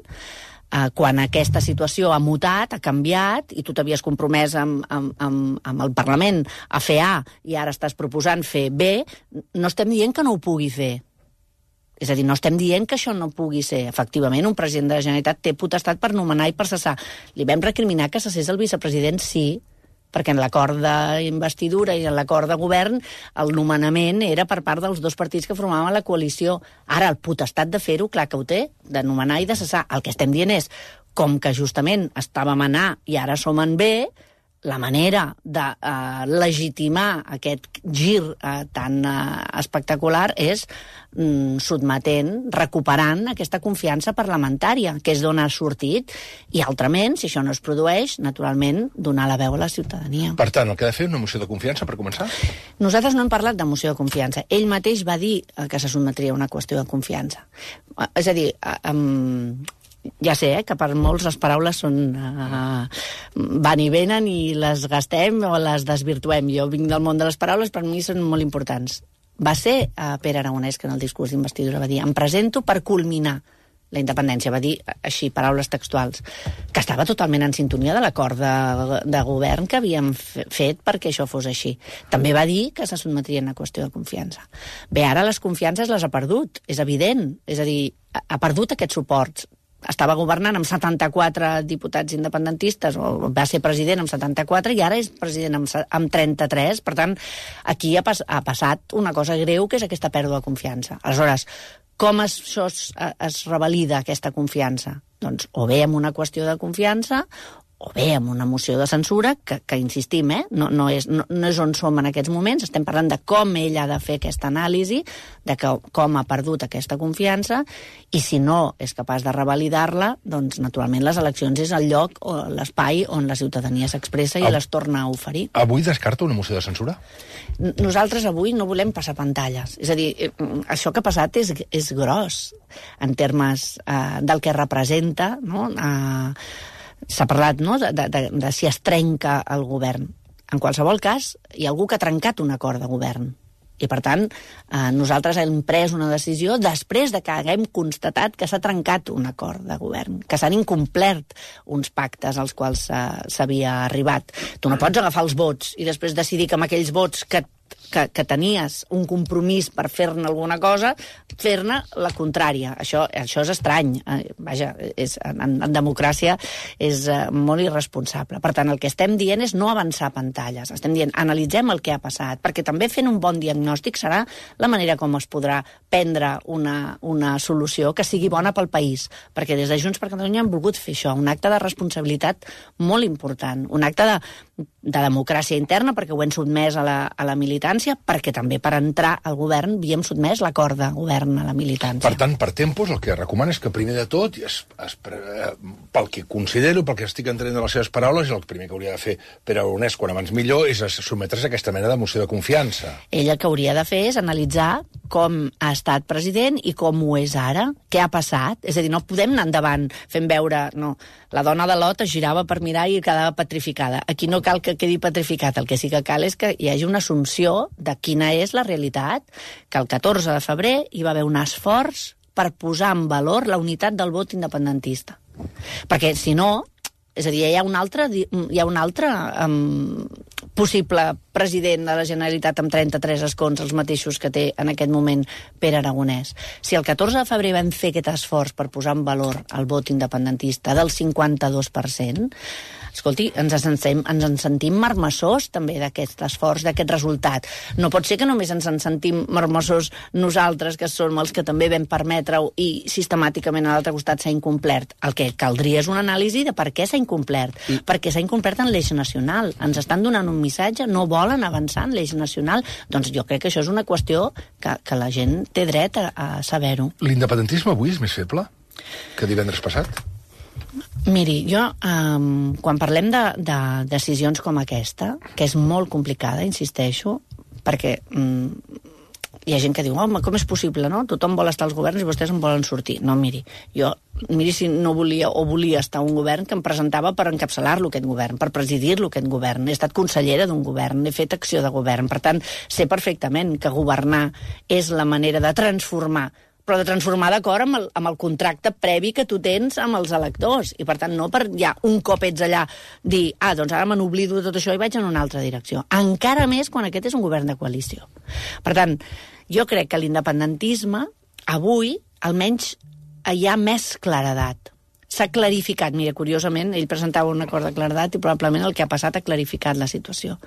quan aquesta situació ha mutat, ha canviat, i tu t'havies compromès amb el Parlament a fer A i ara estàs proposant fer B, no estem dient que no ho pugui fer. És a dir, no estem dient que això no pugui ser. Efectivament, un president de la Generalitat té potestat per nomenar i per cessar. Li vam recriminar que cessés el vicepresident, sí, perquè en l'acord d'investidura i en l'acord de govern el nomenament era per part dels dos partits que formaven la coalició. Ara, el potestat de fer-ho, clar que ho té, de nomenar i de cessar. El que estem dient és, com que justament estàvem en A i ara som en B, la manera de legitimar aquest gir tan espectacular és sotmetent, recuperant aquesta confiança parlamentària, que és d'on ha sortit, i altrament, si això no es produeix, naturalment, donar la veu a la ciutadania. Per tant, el que ha de fer una moció de confiança, per començar? Nosaltres no hem parlat de moció de confiança. Ell mateix va dir que se sotmetria a una qüestió de confiança. És a dir, ja sé que per molts les paraules són van i venen i les gastem o les desvirtuem. Jo vinc del món de les paraules, per mi són molt importants. Va ser Pere Aragonès que en el discurs d'investidura va dir: em presento per culminar la independència. Va dir així, paraules textuals, que estava totalment en sintonia de l'acord de govern que havíem fet perquè això fos així. També va dir que se sotmetria a una qüestió de confiança. Bé, ara les confiances les ha perdut, és evident. És a dir, ha perdut aquests suports. Estava governant amb 74 diputats independentistes, o va ser president amb 74, i ara és president amb 33. Per tant, aquí ha passat una cosa greu, que és aquesta pèrdua de confiança. Aleshores, com això es revalida, aquesta confiança? Doncs o bé amb una qüestió de confiança, o bé amb una moció de censura, que insistim, no és on som en aquests moments, estem parlant de com ell ha de fer aquesta anàlisi, de com ha perdut aquesta confiança, i si no és capaç de revalidar-la, doncs naturalment les eleccions és el lloc o l'espai on la ciutadania s'expressa i les torna a oferir. Avui descarta una moció de censura? Nosaltres avui no volem passar pantalles. És a dir, això que ha passat és gros en termes del que representa, no? S'ha parlat, no?, de si es trenca el govern. En qualsevol cas, hi ha algú que ha trencat un acord de govern. I, per tant, nosaltres hem pres una decisió després de que haguem constatat que s'ha trencat un acord de govern, que s'han incomplert uns pactes als quals s'havia arribat. Tu no pots agafar els vots i després decidir que amb aquells vots que tenies un compromís per fer-ne alguna cosa, fer-ne la contrària. Això és estrany. Vaja, en democràcia és molt irresponsable. Per tant, el que estem dient és no avançar pantalles. Estem dient, analitzem el que ha passat, perquè també fent un bon diagnòstic serà la manera com es podrà prendre una solució que sigui bona pel país. Perquè des de Junts per Catalunya hem volgut fer això, un acte de responsabilitat molt important, un acte de democràcia interna, perquè ho hem sotmès a la militància, perquè també per entrar al govern havíem sotmès l'acord de govern a la militància. Per tant, per tempos, el que recomana és que primer de tot, pel que considero, pel que estic entenent de les seves paraules, el primer que hauria de fer Pere Aragonès, quan abans millor, és sotmetre's a aquesta mena de moció de confiança. Ell el que hauria de fer és analitzar com ha estat president i com ho és ara, què ha passat. És a dir, no podem anar endavant fent veure... No, la dona de Lot es girava per mirar i quedava petrificada. Aquí no cal que quedi petrificat, el que sí que cal és que hi hagi una assumpció de quina és la realitat, que el 14 de febrer hi va haver un esforç per posar en valor la unitat del vot independentista. Perquè, si no, és a dir, hi ha un altre possible president de la Generalitat amb 33 escons, els mateixos que té en aquest moment Pere Aragonès. Si el 14 de febrer vam fer aquest esforç per posar en valor el vot independentista del 52%, escolti, ens en sentim marmessors també d'aquest esforç, d'aquest resultat. No pot ser que només ens en sentim marmessors nosaltres, que som els que també vam permetre-ho i sistemàticament a l'altre costat s'ha incomplert. El que caldria és una anàlisi de per què s'ha incomplert. Perquè s'ha incomplert en l'eix nacional. Ens estan donant un missatge, no volen avançar en l'eix nacional. Doncs jo crec que això és una qüestió que la gent té dret a saber-ho. L'independentisme avui és més feble que divendres passat? Miri, jo, quan parlem de decisions com aquesta, que és molt complicada, insisteixo, perquè hi ha gent que diu, home, com és possible, no? Tothom vol estar als governs i vostès en volen sortir. No, miri si no volia o volia estar un govern que em presentava per encapçalar-lo, aquest govern, per presidir-lo, aquest govern. He estat consellera d'un govern, he fet acció de govern. Per tant, sé perfectament que governar és la manera de transformar, però de transformar d'acord amb el contracte previ que tu tens amb els electors. I, per tant, no per ja un cop ets allà dir, doncs ara me n'oblido de tot això i vaig en una altra direcció. Encara més quan aquest és un govern de coalició. Per tant, jo crec que l'independentisme, avui, almenys, hi ha més claredat. S'ha clarificat. Mira, curiosament, ell presentava un acord de claredat i probablement el que ha passat ha clarificat la situació.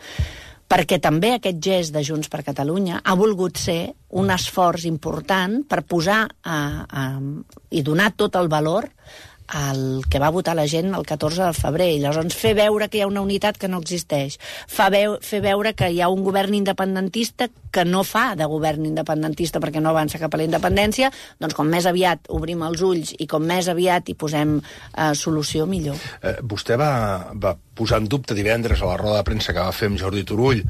Perquè també aquest gest de Junts per Catalunya ha volgut ser un esforç important per posar i donar tot el valor al que va votar la gent el 14 de febrer. I llavors fer veure que hi ha una unitat que no existeix. Fer veure que hi ha un govern independentista que no fa de govern independentista perquè no avança cap a la independència, doncs com més aviat obrim els ulls i com més aviat hi posem solució, millor. Vostè va posar en dubte divendres a la roda de premsa que va fer amb Jordi Turull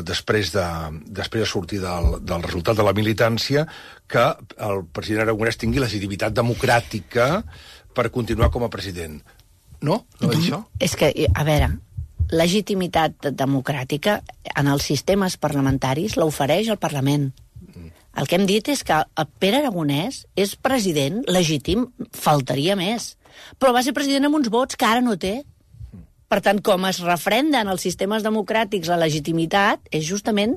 després de sortir del resultat de la militància, que el president Aragonès tingui legitimitat democràtica per continuar com a president. No? No va dir això? És que, a veure, legitimitat democràtica en els sistemes parlamentaris l'ofereix el Parlament. El que hem dit és que el Pere Aragonès és president legítim, faltaria més. Però va ser president amb uns vots que ara no té. Per tant, com es refrenda en els sistemes democràtics la legitimitat, és justament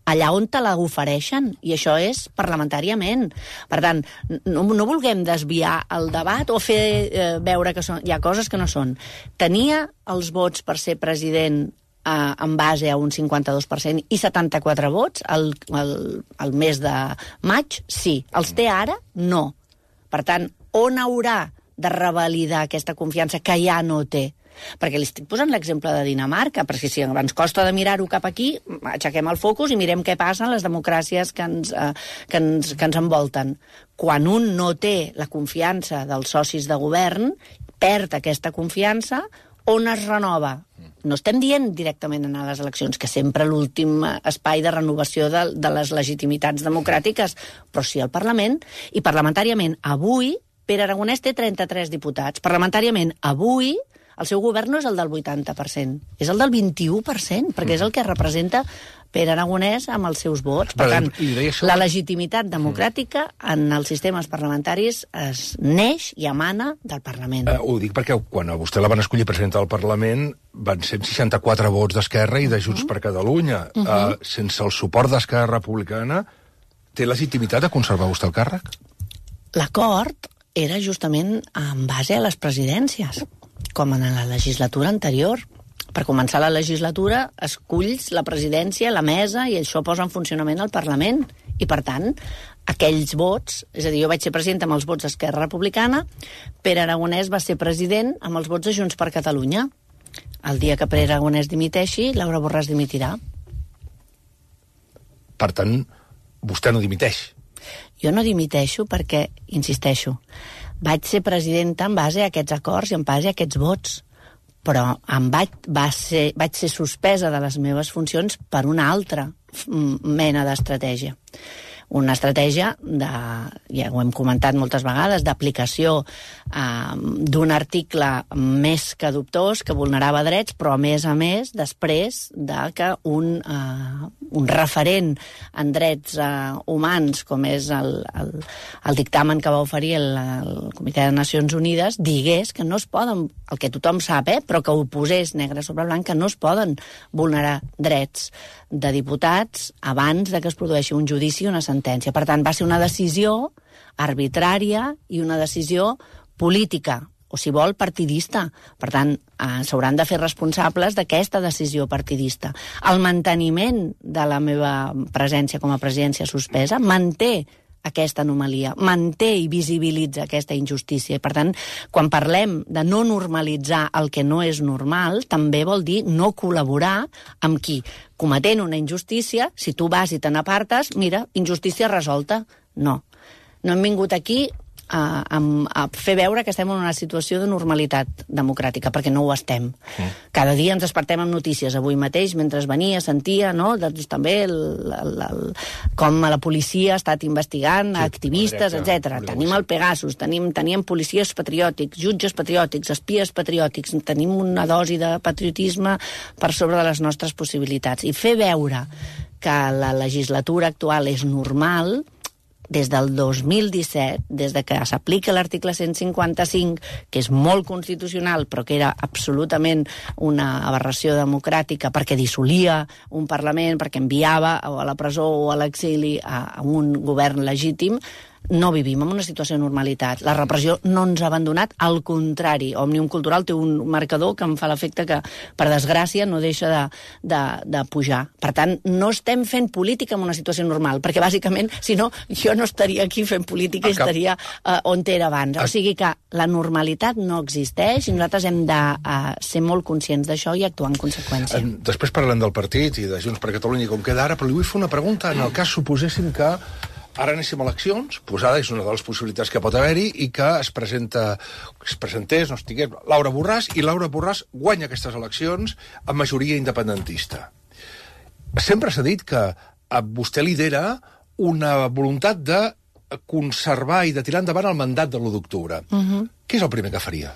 allà on te la ofereixen, i això és parlamentàriament. Per tant, no vulguem desviar el debat o fer veure que hi ha coses que no són. Tenia els vots per ser president en base a un 52% i 74 vots el mes de maig, sí. Els té ara? No. Per tant, on haurà de revalidar aquesta confiança que ja no té? Perquè li estic posant l'exemple de Dinamarca, perquè si ens costa de mirar-ho cap aquí, aixequem el focus i mirem què passa en les democràcies que ens envolten. Quan un no té la confiança dels socis de govern, perd aquesta confiança, on es renova? No estem dient directament anar a les eleccions, que sempre l'últim espai de renovació de les legitimitats democràtiques, però sí al Parlament. I parlamentàriament, avui, Pere Aragonès té 33 diputats. Parlamentàriament, avui, el seu govern no és el del 80%, és el del 21%, perquè és el que representa Pere Aragonès amb els seus vots. Per tant, la legitimitat democràtica en els sistemes parlamentaris es neix i emana del Parlament. Ho dic perquè quan a vostè la van escollir presidenta del Parlament van ser 64 vots d'Esquerra i de Junts per Catalunya. Sense el suport d'Esquerra Republicana, té legitimitat de conservar vostè el càrrec? L'acord era justament en base a les presidències, com en la legislatura anterior. Per començar la legislatura, esculls la presidència, la mesa, i això posa en funcionament el Parlament. I, per tant, aquells vots, és a dir, jo vaig ser presidenta amb els vots d'Esquerra Republicana, Pere Aragonès va ser president amb els vots de Junts per Catalunya. El dia que Pere Aragonès dimiteixi, Laura Borràs dimitirà. Per tant, vostè no dimiteix. Jo no dimiteixo perquè, insisteixo, vaig ser presidenta en base a aquests acords i en base a aquests vots, però vaig ser suspesa de les meves funcions per una altra mena d'estratègia. Una estratègia, ja ho hem comentat moltes vegades, d'aplicació d'un article més que dubtós, que vulnerava drets, però a més, després de que un referent en drets humans, com és el dictamen que va oferir el Comitè de Nacions Unides, digués que no es poden, el que tothom sap, però que ho posés negre sobre blanc, que no es poden vulnerar drets de diputats abans de que es produeixi un judici o una sentència. Per tant, va ser una decisió arbitrària i una decisió política, o si vol, partidista. Per tant, s'hauran de fer responsables d'aquesta decisió partidista. El manteniment de la meva presència com a presidència suspesa manté aquesta anomalia, manté i visibilitza aquesta injustícia. I, per tant, quan parlem de no normalitzar el que no és normal, també vol dir no col·laborar amb qui, cometent una injustícia, si tu vas i te n'apartes, mira, injustícia resolta. No. No hem vingut aquí a fer veure que estem en una situació de normalitat democràtica, perquè no ho estem. Cada dia ens despertem amb notícies. Avui mateix, mentre venia, sentia, no?, doncs, també com la policia ha estat investigant activistes, etc. Tenim el Pegasus, teníem policies patriòtics, jutges patriòtics, espies patriòtics, tenim una dosi de patriotisme per sobre de les nostres possibilitats. I fer veure que la legislatura actual és normal, des del 2017, des de que s'aplica l'article 155, que és molt constitucional, però que era absolutament una aberració democràtica perquè dissolia un Parlament, perquè enviava a la presó o a l'exili a un govern legítim, no vivim en una situació de normalitat. La repressió no ens ha abandonat, al contrari. Òmnium Cultural té un marcador que em fa l'efecte que, per desgràcia, no deixa de pujar. Per tant, no estem fent política en una situació normal, perquè, bàsicament, si no, jo no estaria aquí fent política i estaria on era abans. O sigui que la normalitat no existeix i nosaltres hem de ser molt conscients d'això i actuar en conseqüència. Després parlem del partit i de Junts per Catalunya com queda ara, però li vull fer una pregunta. En el cas suposéssim que ara anéssim a eleccions, posada és una de les possibilitats que pot haver-hi, i que es presentés, no estigués, Laura Borràs, i Laura Borràs guanya aquestes eleccions amb majoria independentista. Sempre s'ha dit que vostè lidera una voluntat de conservar i de tirar endavant el mandat de l'1 d'octubre. Què és el primer que faria?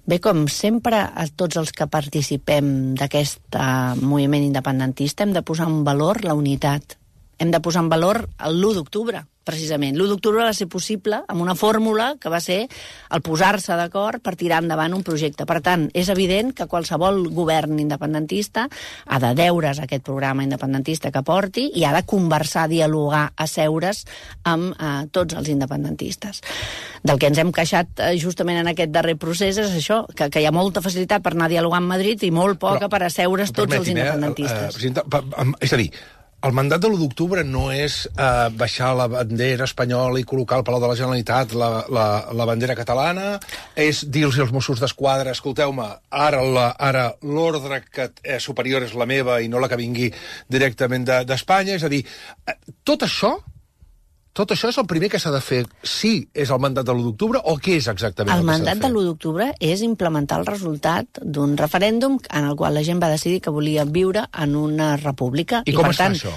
Bé, com sempre, a tots els que participem d'aquest moviment independentista hem de posar en valor la unitat. Hem de posar en valor l'1 d'octubre, precisament. L'1 d'octubre va ser possible amb una fórmula que va ser el posar-se d'acord per tirar endavant un projecte. Per tant, és evident que qualsevol govern independentista ha de deure's aquest programa independentista que porti i ha de conversar, dialogar, asseure's amb tots els independentistes. Del que ens hem queixat justament en aquest darrer procés és això, que hi ha molta facilitat per anar a dialogar amb Madrid i molt poca per asseure's tots els independentistes. Presidenta, és a dir, El mandat de l'1 d'octubre no és baixar la bandera espanyola i col·locar al Palau de la Generalitat la bandera catalana, és dir-los als Mossos d'Esquadra, escolteu-me, ara l'ordre superior és la meva i no la que vingui directament d'Espanya, és a dir, tot això és el primer que s'ha de fer, sí, és el mandat de l'1 d'octubre, o què és exactament el mandat de l'1 d'octubre és implementar el resultat d'un referèndum en el qual la gent va decidir que volia viure en una república. I com es fa això?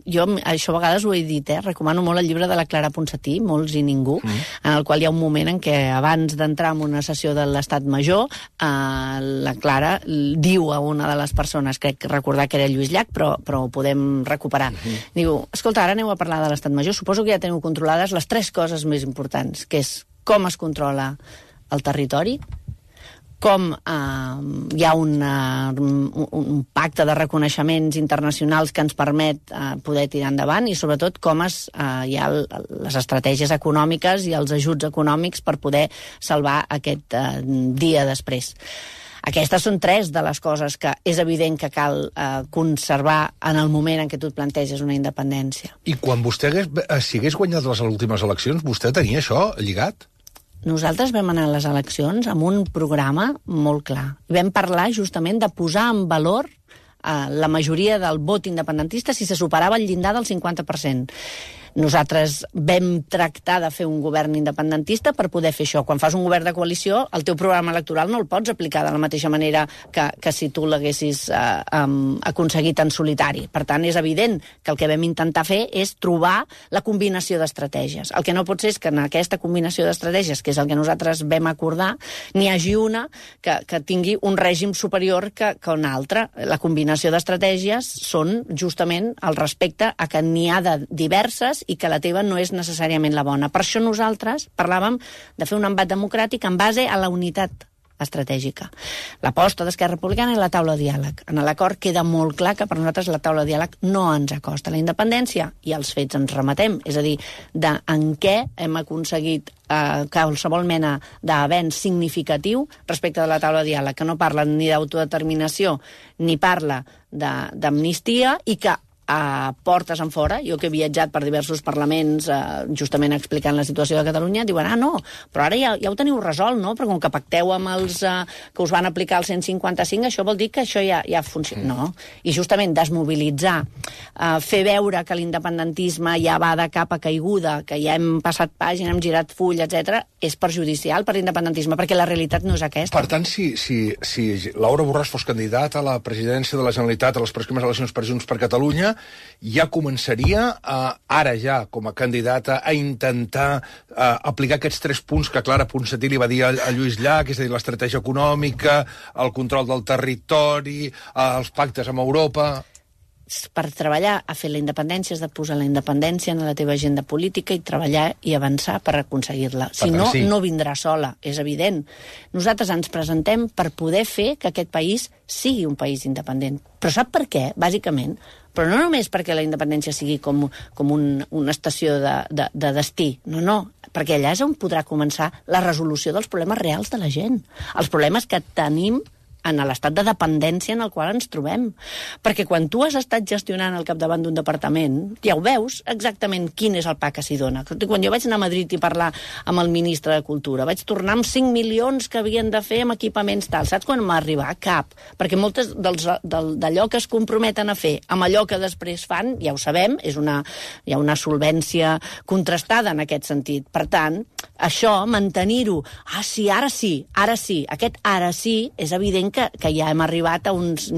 Jo això a vegades ho he dit, recomano molt el llibre de la Clara Ponsatí, Molts i ningú, en el qual hi ha un moment en què abans d'entrar en una sessió de l'Estat Major, la Clara diu a una de les persones, crec recordar que era Lluís Llach, però ho podem recuperar. Diu, escolta, ara aneu a parlar de l'Estat Major, suposo que ja teniu controlades les 3 coses més importants, que és com es controla el territori, com hi ha un pacte de reconeixements internacionals que ens permet poder tirar endavant i, sobretot, com hi ha les estratègies econòmiques i els ajuts econòmics per poder salvar aquest dia després. Aquestes són 3 de les coses que és evident que cal conservar en el moment en què tu et planteges una independència. I quan vostè si hagués guanyat les últimes eleccions, vostè tenia això lligat? Nosaltres vam anar a les eleccions amb un programa molt clar. Vam parlar justament de posar en valor la majoria del vot independentista si se superava el llindar del 50%. Nosaltres vam tractar de fer un govern independentista per poder fer això. Quan fas un govern de coalició, el teu programa electoral no el pots aplicar de la mateixa manera que si tu l'haguessis aconseguit en solitari. Per tant, és evident que el que vam intentar fer és trobar la combinació d'estratègies. El que no pot ser és que en aquesta combinació d'estratègies, que és el que nosaltres vam acordar, n'hi hagi una que tingui un règim superior que una altra. La combinació d'estratègies són justament el respecte a que n'hi ha de diverses i que la teva no és necessàriament la bona. Per això nosaltres parlàvem de fer un embat democràtic en base a la unitat estratègica. L'aposta d'Esquerra Republicana i la taula de diàleg. En l'acord queda molt clar que per nosaltres la taula de diàleg no ens acosta a la independència i als fets ens remetem. És a dir, en què hem aconseguit qualsevol mena d'avenç significatiu respecte de la taula de diàleg, que no parla ni d'autodeterminació ni parla d'amnistia i que a portes en fora, jo que he viatjat per diversos parlaments justament explicant la situació de Catalunya, diuen, no, però ara ja ho teniu resolt, no? Perquè com que pacteu amb els que us van aplicar el 155, això vol dir que això ja funciona. No. I justament desmobilitzar, fer veure que l'independentisme ja va de capa caiguda, que ja hem passat pàgina, hem girat full, etc., és perjudicial per l'independentisme, perquè la realitat no és aquesta. Per tant, si Laura Borràs fos candidat a la presidència de la Generalitat a les pròximes eleccions per Junts per Catalunya, ja començaria, ara ja, com a candidata, a intentar aplicar aquests 3 punts que Clara Ponsatí li va dir a Lluís Llach, és a dir, l'estratègia econòmica, el control del territori, els pactes amb Europa... Per treballar a fer la independència has de posar la independència en la teva agenda política i treballar i avançar per aconseguir-la. Si no, no vindrà sola, és evident. Nosaltres ens presentem per poder fer que aquest país sigui un país independent. Però sap per què? Bàsicament. Però no només perquè la independència sigui com una estació de destí. No, perquè allà és on podrà començar la resolució dels problemes reals de la gent. Els problemes que tenim en l'estat de dependència en el qual ens trobem. Perquè quan tu has estat gestionant al capdavant d'un departament, ja ho veus exactament quin és el pa que s'hi dona. Quan jo vaig anar a Madrid i parlar amb el ministre de Cultura, vaig tornar amb 5 milions que havien de fer amb equipaments tal. Saps quan m'ha arribat? Cap. Perquè moltes d'allò que es comprometen a fer amb allò que després fan, ja ho sabem, hi ha una solvència contrastada en aquest sentit. Per tant, això, mantenir-ho, ara sí, aquest ara sí, és evident que ja hem arribat a uns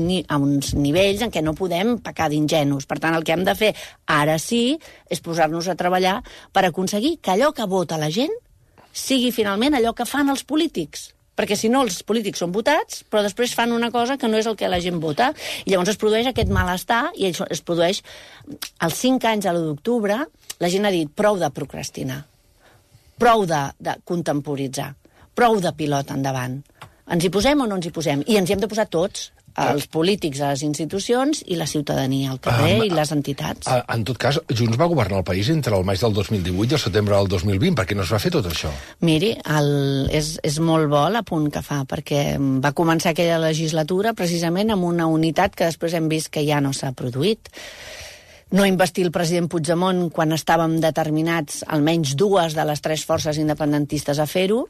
nivells en què no podem pecar d'ingenus. Per tant, el que hem de fer ara sí és posar-nos a treballar per aconseguir que allò que vota la gent sigui finalment allò que fan els polítics. Perquè si no, els polítics són votats, però després fan una cosa que no és el que la gent vota. I llavors es produeix aquest malestar i es produeix... Als 5 anys a l'1 d'octubre, la gent ha dit prou de procrastinar, prou de contemporitzar, prou de pilot endavant. Ens hi posem o no ens hi posem? I ens hi hem de posar tots. els polítics a les institucions i la ciutadania al carrer i les entitats. En tot cas, Junts va governar el país entre el maig del 2018 i el setembre del 2020. Per què no es va fer tot això? Miri, és molt bo l'apunt que fa, perquè va començar aquella legislatura precisament amb una unitat que després hem vist que ja no s'ha produït. No investir el president Puigdemont quan estàvem determinats, almenys 2 de les 3 forces independentistes, a fer-ho,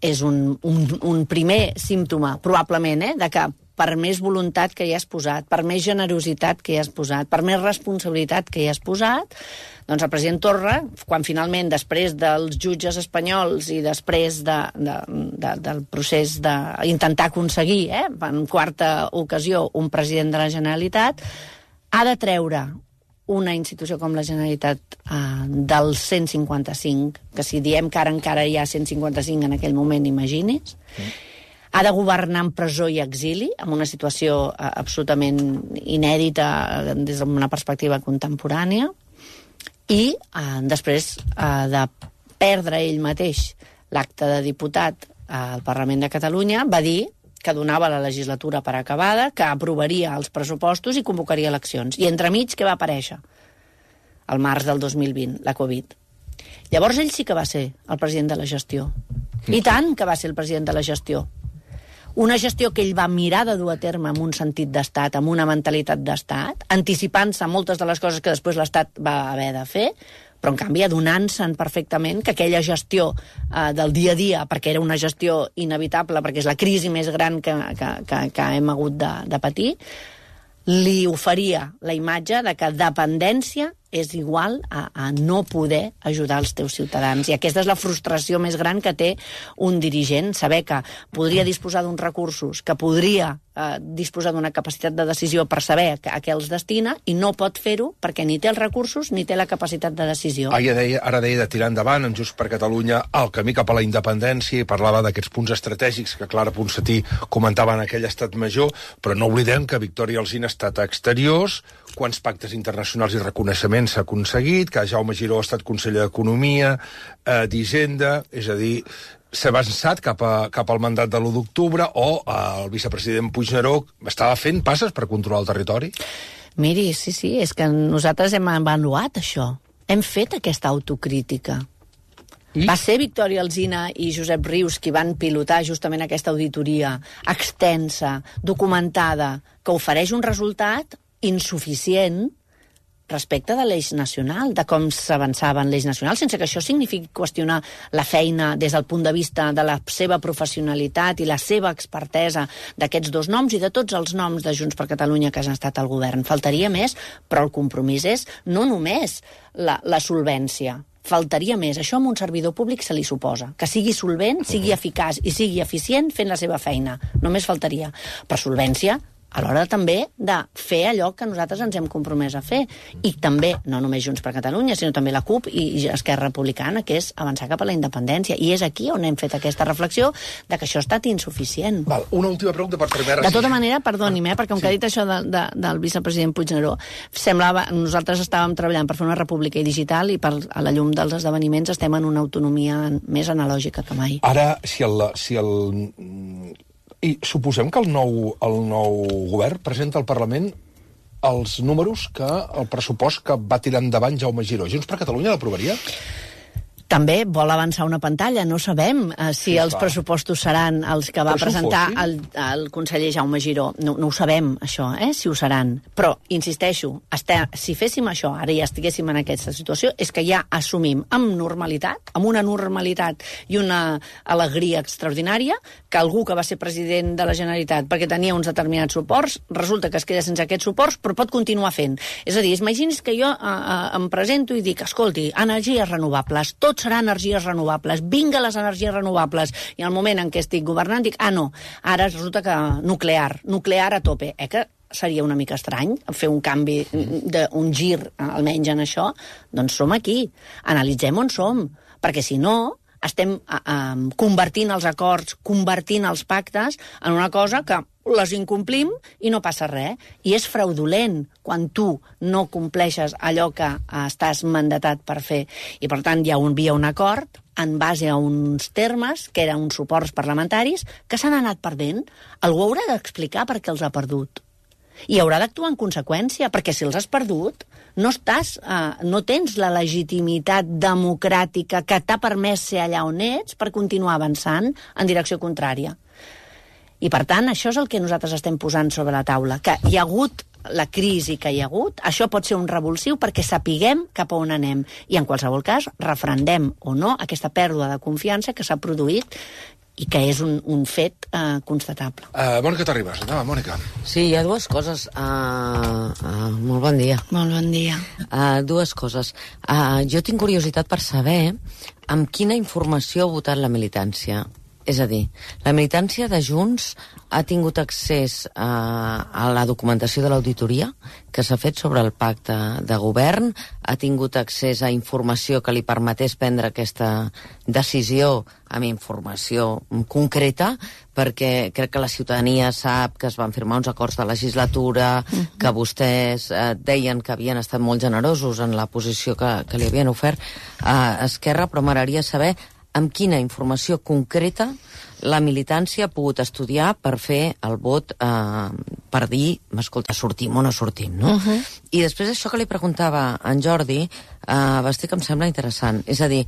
és un primer símptoma, probablement, de que per més voluntat que hi has posat, per més generositat que hi has posat, per més responsabilitat que hi has posat, doncs el president Torra, quan finalment, després dels jutges espanyols i després del procés d'intentar aconseguir, en 4a ocasió, un president de la Generalitat, ha de treure una institució com la Generalitat del 155, que si diem que ara encara hi ha 155 en aquell moment, imagini's, ha de governar en presó i exili, en una situació absolutament inèdita des d'una perspectiva contemporània, i després de perdre ell mateix l'acte de diputat al Parlament de Catalunya, va dir que donava la legislatura per acabada, que aprovaria els pressupostos i convocaria eleccions. I entremig, què va aparèixer? Al març del 2020, la Covid. Llavors ell sí que va ser el president de la gestió. I tant que va ser el president de la gestió. Una gestió que ell va mirar de dur a terme amb un sentit d'estat, amb una mentalitat d'estat, anticipant-se a moltes de les coses que després l'Estat va haver de fer, però en canvi adonant-se'n perfectament que aquella gestió del dia a dia, perquè era una gestió inevitable, perquè és la crisi més gran que hem hagut de patir, li oferia la imatge de que dependència és igual a no poder ajudar els teus ciutadans. I aquesta és la frustració més gran que té un dirigent, saber que podria disposar d'uns recursos, que podria disposar d'una capacitat de decisió per saber a què els destina, i no pot fer-ho perquè ni té els recursos ni té la capacitat de decisió. Ara deia de tirar endavant en Junts per Catalunya el camí cap a la independència i parlava d'aquests punts estratègics que Clara Ponsatí comentava en aquell estat major, però no oblidem que Victòria Alsina ha estat a exteriors, quants pactes internacionals i reconeixements s'ha aconseguit, que Jaume Giró ha estat conseller d'Economia, d'Hisenda, és a dir, s'ha avançat cap al mandat de l'1 d'octubre, o el vicepresident Puigneró estava fent passes per controlar el territori? Miri, sí, és que nosaltres hem avaluat això. Hem fet aquesta autocrítica. Va ser Victòria Alsina i Josep Rius qui van pilotar justament aquesta auditoria extensa, documentada, que ofereix un resultat insuficient respecte de l'eix nacional, de com s'avançava en l'eix nacional, sense que això signifiqui qüestionar la feina des del punt de vista de la seva professionalitat i la seva expertesa d'aquests 2 noms i de tots els noms de Junts per Catalunya que han estat al govern. Faltaria més, però el compromís és no només la solvència, faltaria més. Això amb un servidor públic se li suposa. Que sigui solvent, sigui eficaç i sigui eficient fent la seva feina. Només faltaria. Per solvència, a l'hora també de fer allò que nosaltres ens hem compromès a fer. I també, no només Junts per Catalunya, sinó també la CUP i Esquerra Republicana, que és avançar cap a la independència. I és aquí on hem fet aquesta reflexió de que això ha estat insuficient. Val, una última pregunta per primer... De tota manera, perdoni'm, perquè com que ha dit això del vicepresident Puigneró, semblava... Nosaltres estàvem treballant per fer una república digital i a la llum dels esdeveniments estem en una autonomia més analògica que mai. Ara, I suposem que el nou govern presenta al Parlament els números el pressupost que va tirar endavant Jaume Giró. Junts per Catalunya l'aprovaria? També vol avançar una pantalla. No sabem si els pressupostos seran els que va presentar el conseller Jaume Giró. No ho sabem, això, si ho seran. Però, insisteixo, si féssim això, ara ja estiguéssim en aquesta situació, és que ja assumim amb normalitat, amb una normalitat i una alegria extraordinària, que algú que va ser president de la Generalitat perquè tenia uns determinats suports, resulta que es queda sense aquests suports, però pot continuar fent. És a dir, imagini's que jo em presento i dic, escolti, energies renovables, tots seran energies renovables, vinga les energies renovables, i al moment en què estic governant dic, no, ara resulta que nuclear a tope, que seria una mica estrany fer un canvi, un gir almenys en això. Doncs som aquí, analitzem on som, perquè si no estem convertint els acords, convertint els pactes en una cosa que les incomplim i no passa res. I és fraudulent quan tu no compleixes allò que estàs mandatat per fer. I, per tant, hi havia un acord en base a uns termes, que eren uns suports parlamentaris, que s'han anat perdent. Algú haurà d'explicar per què els ha perdut. I haurà d'actuar en conseqüència, perquè si els has perdut, no tens la legitimitat democràtica que t'ha permès ser allà on ets per continuar avançant en direcció contrària. I, per tant, això és el que nosaltres estem posant sobre la taula, que hi ha hagut la crisi que hi ha hagut, això pot ser un revulsiu perquè sapiguem cap a on anem. I, en qualsevol cas, refrendem o no aquesta pèrdua de confiança que s'ha produït i que és un fet constatable. Mònica Terribas, endavant, Mònica. Sí, hi ha dues coses. Molt bon dia. Molt bon dia. Dues coses. Jo tinc curiositat per saber amb quina informació ha votat la militància. És a dir, la militància de Junts ha tingut accés a la documentació de l'auditoria que s'ha fet sobre el pacte de govern, ha tingut accés a informació que li permetés prendre aquesta decisió amb informació concreta, perquè crec que la ciutadania sap que es van firmar uns acords de legislatura, que vostès deien que havien estat molt generosos en la posició que li havien ofert a Esquerra, però m'agradaria saber amb quina informació concreta la militància ha pogut estudiar per fer el vot per dir, escolta, sortim o no sortim, no? I després això que li preguntava a en Jordi, vestit que em sembla interessant. És a dir,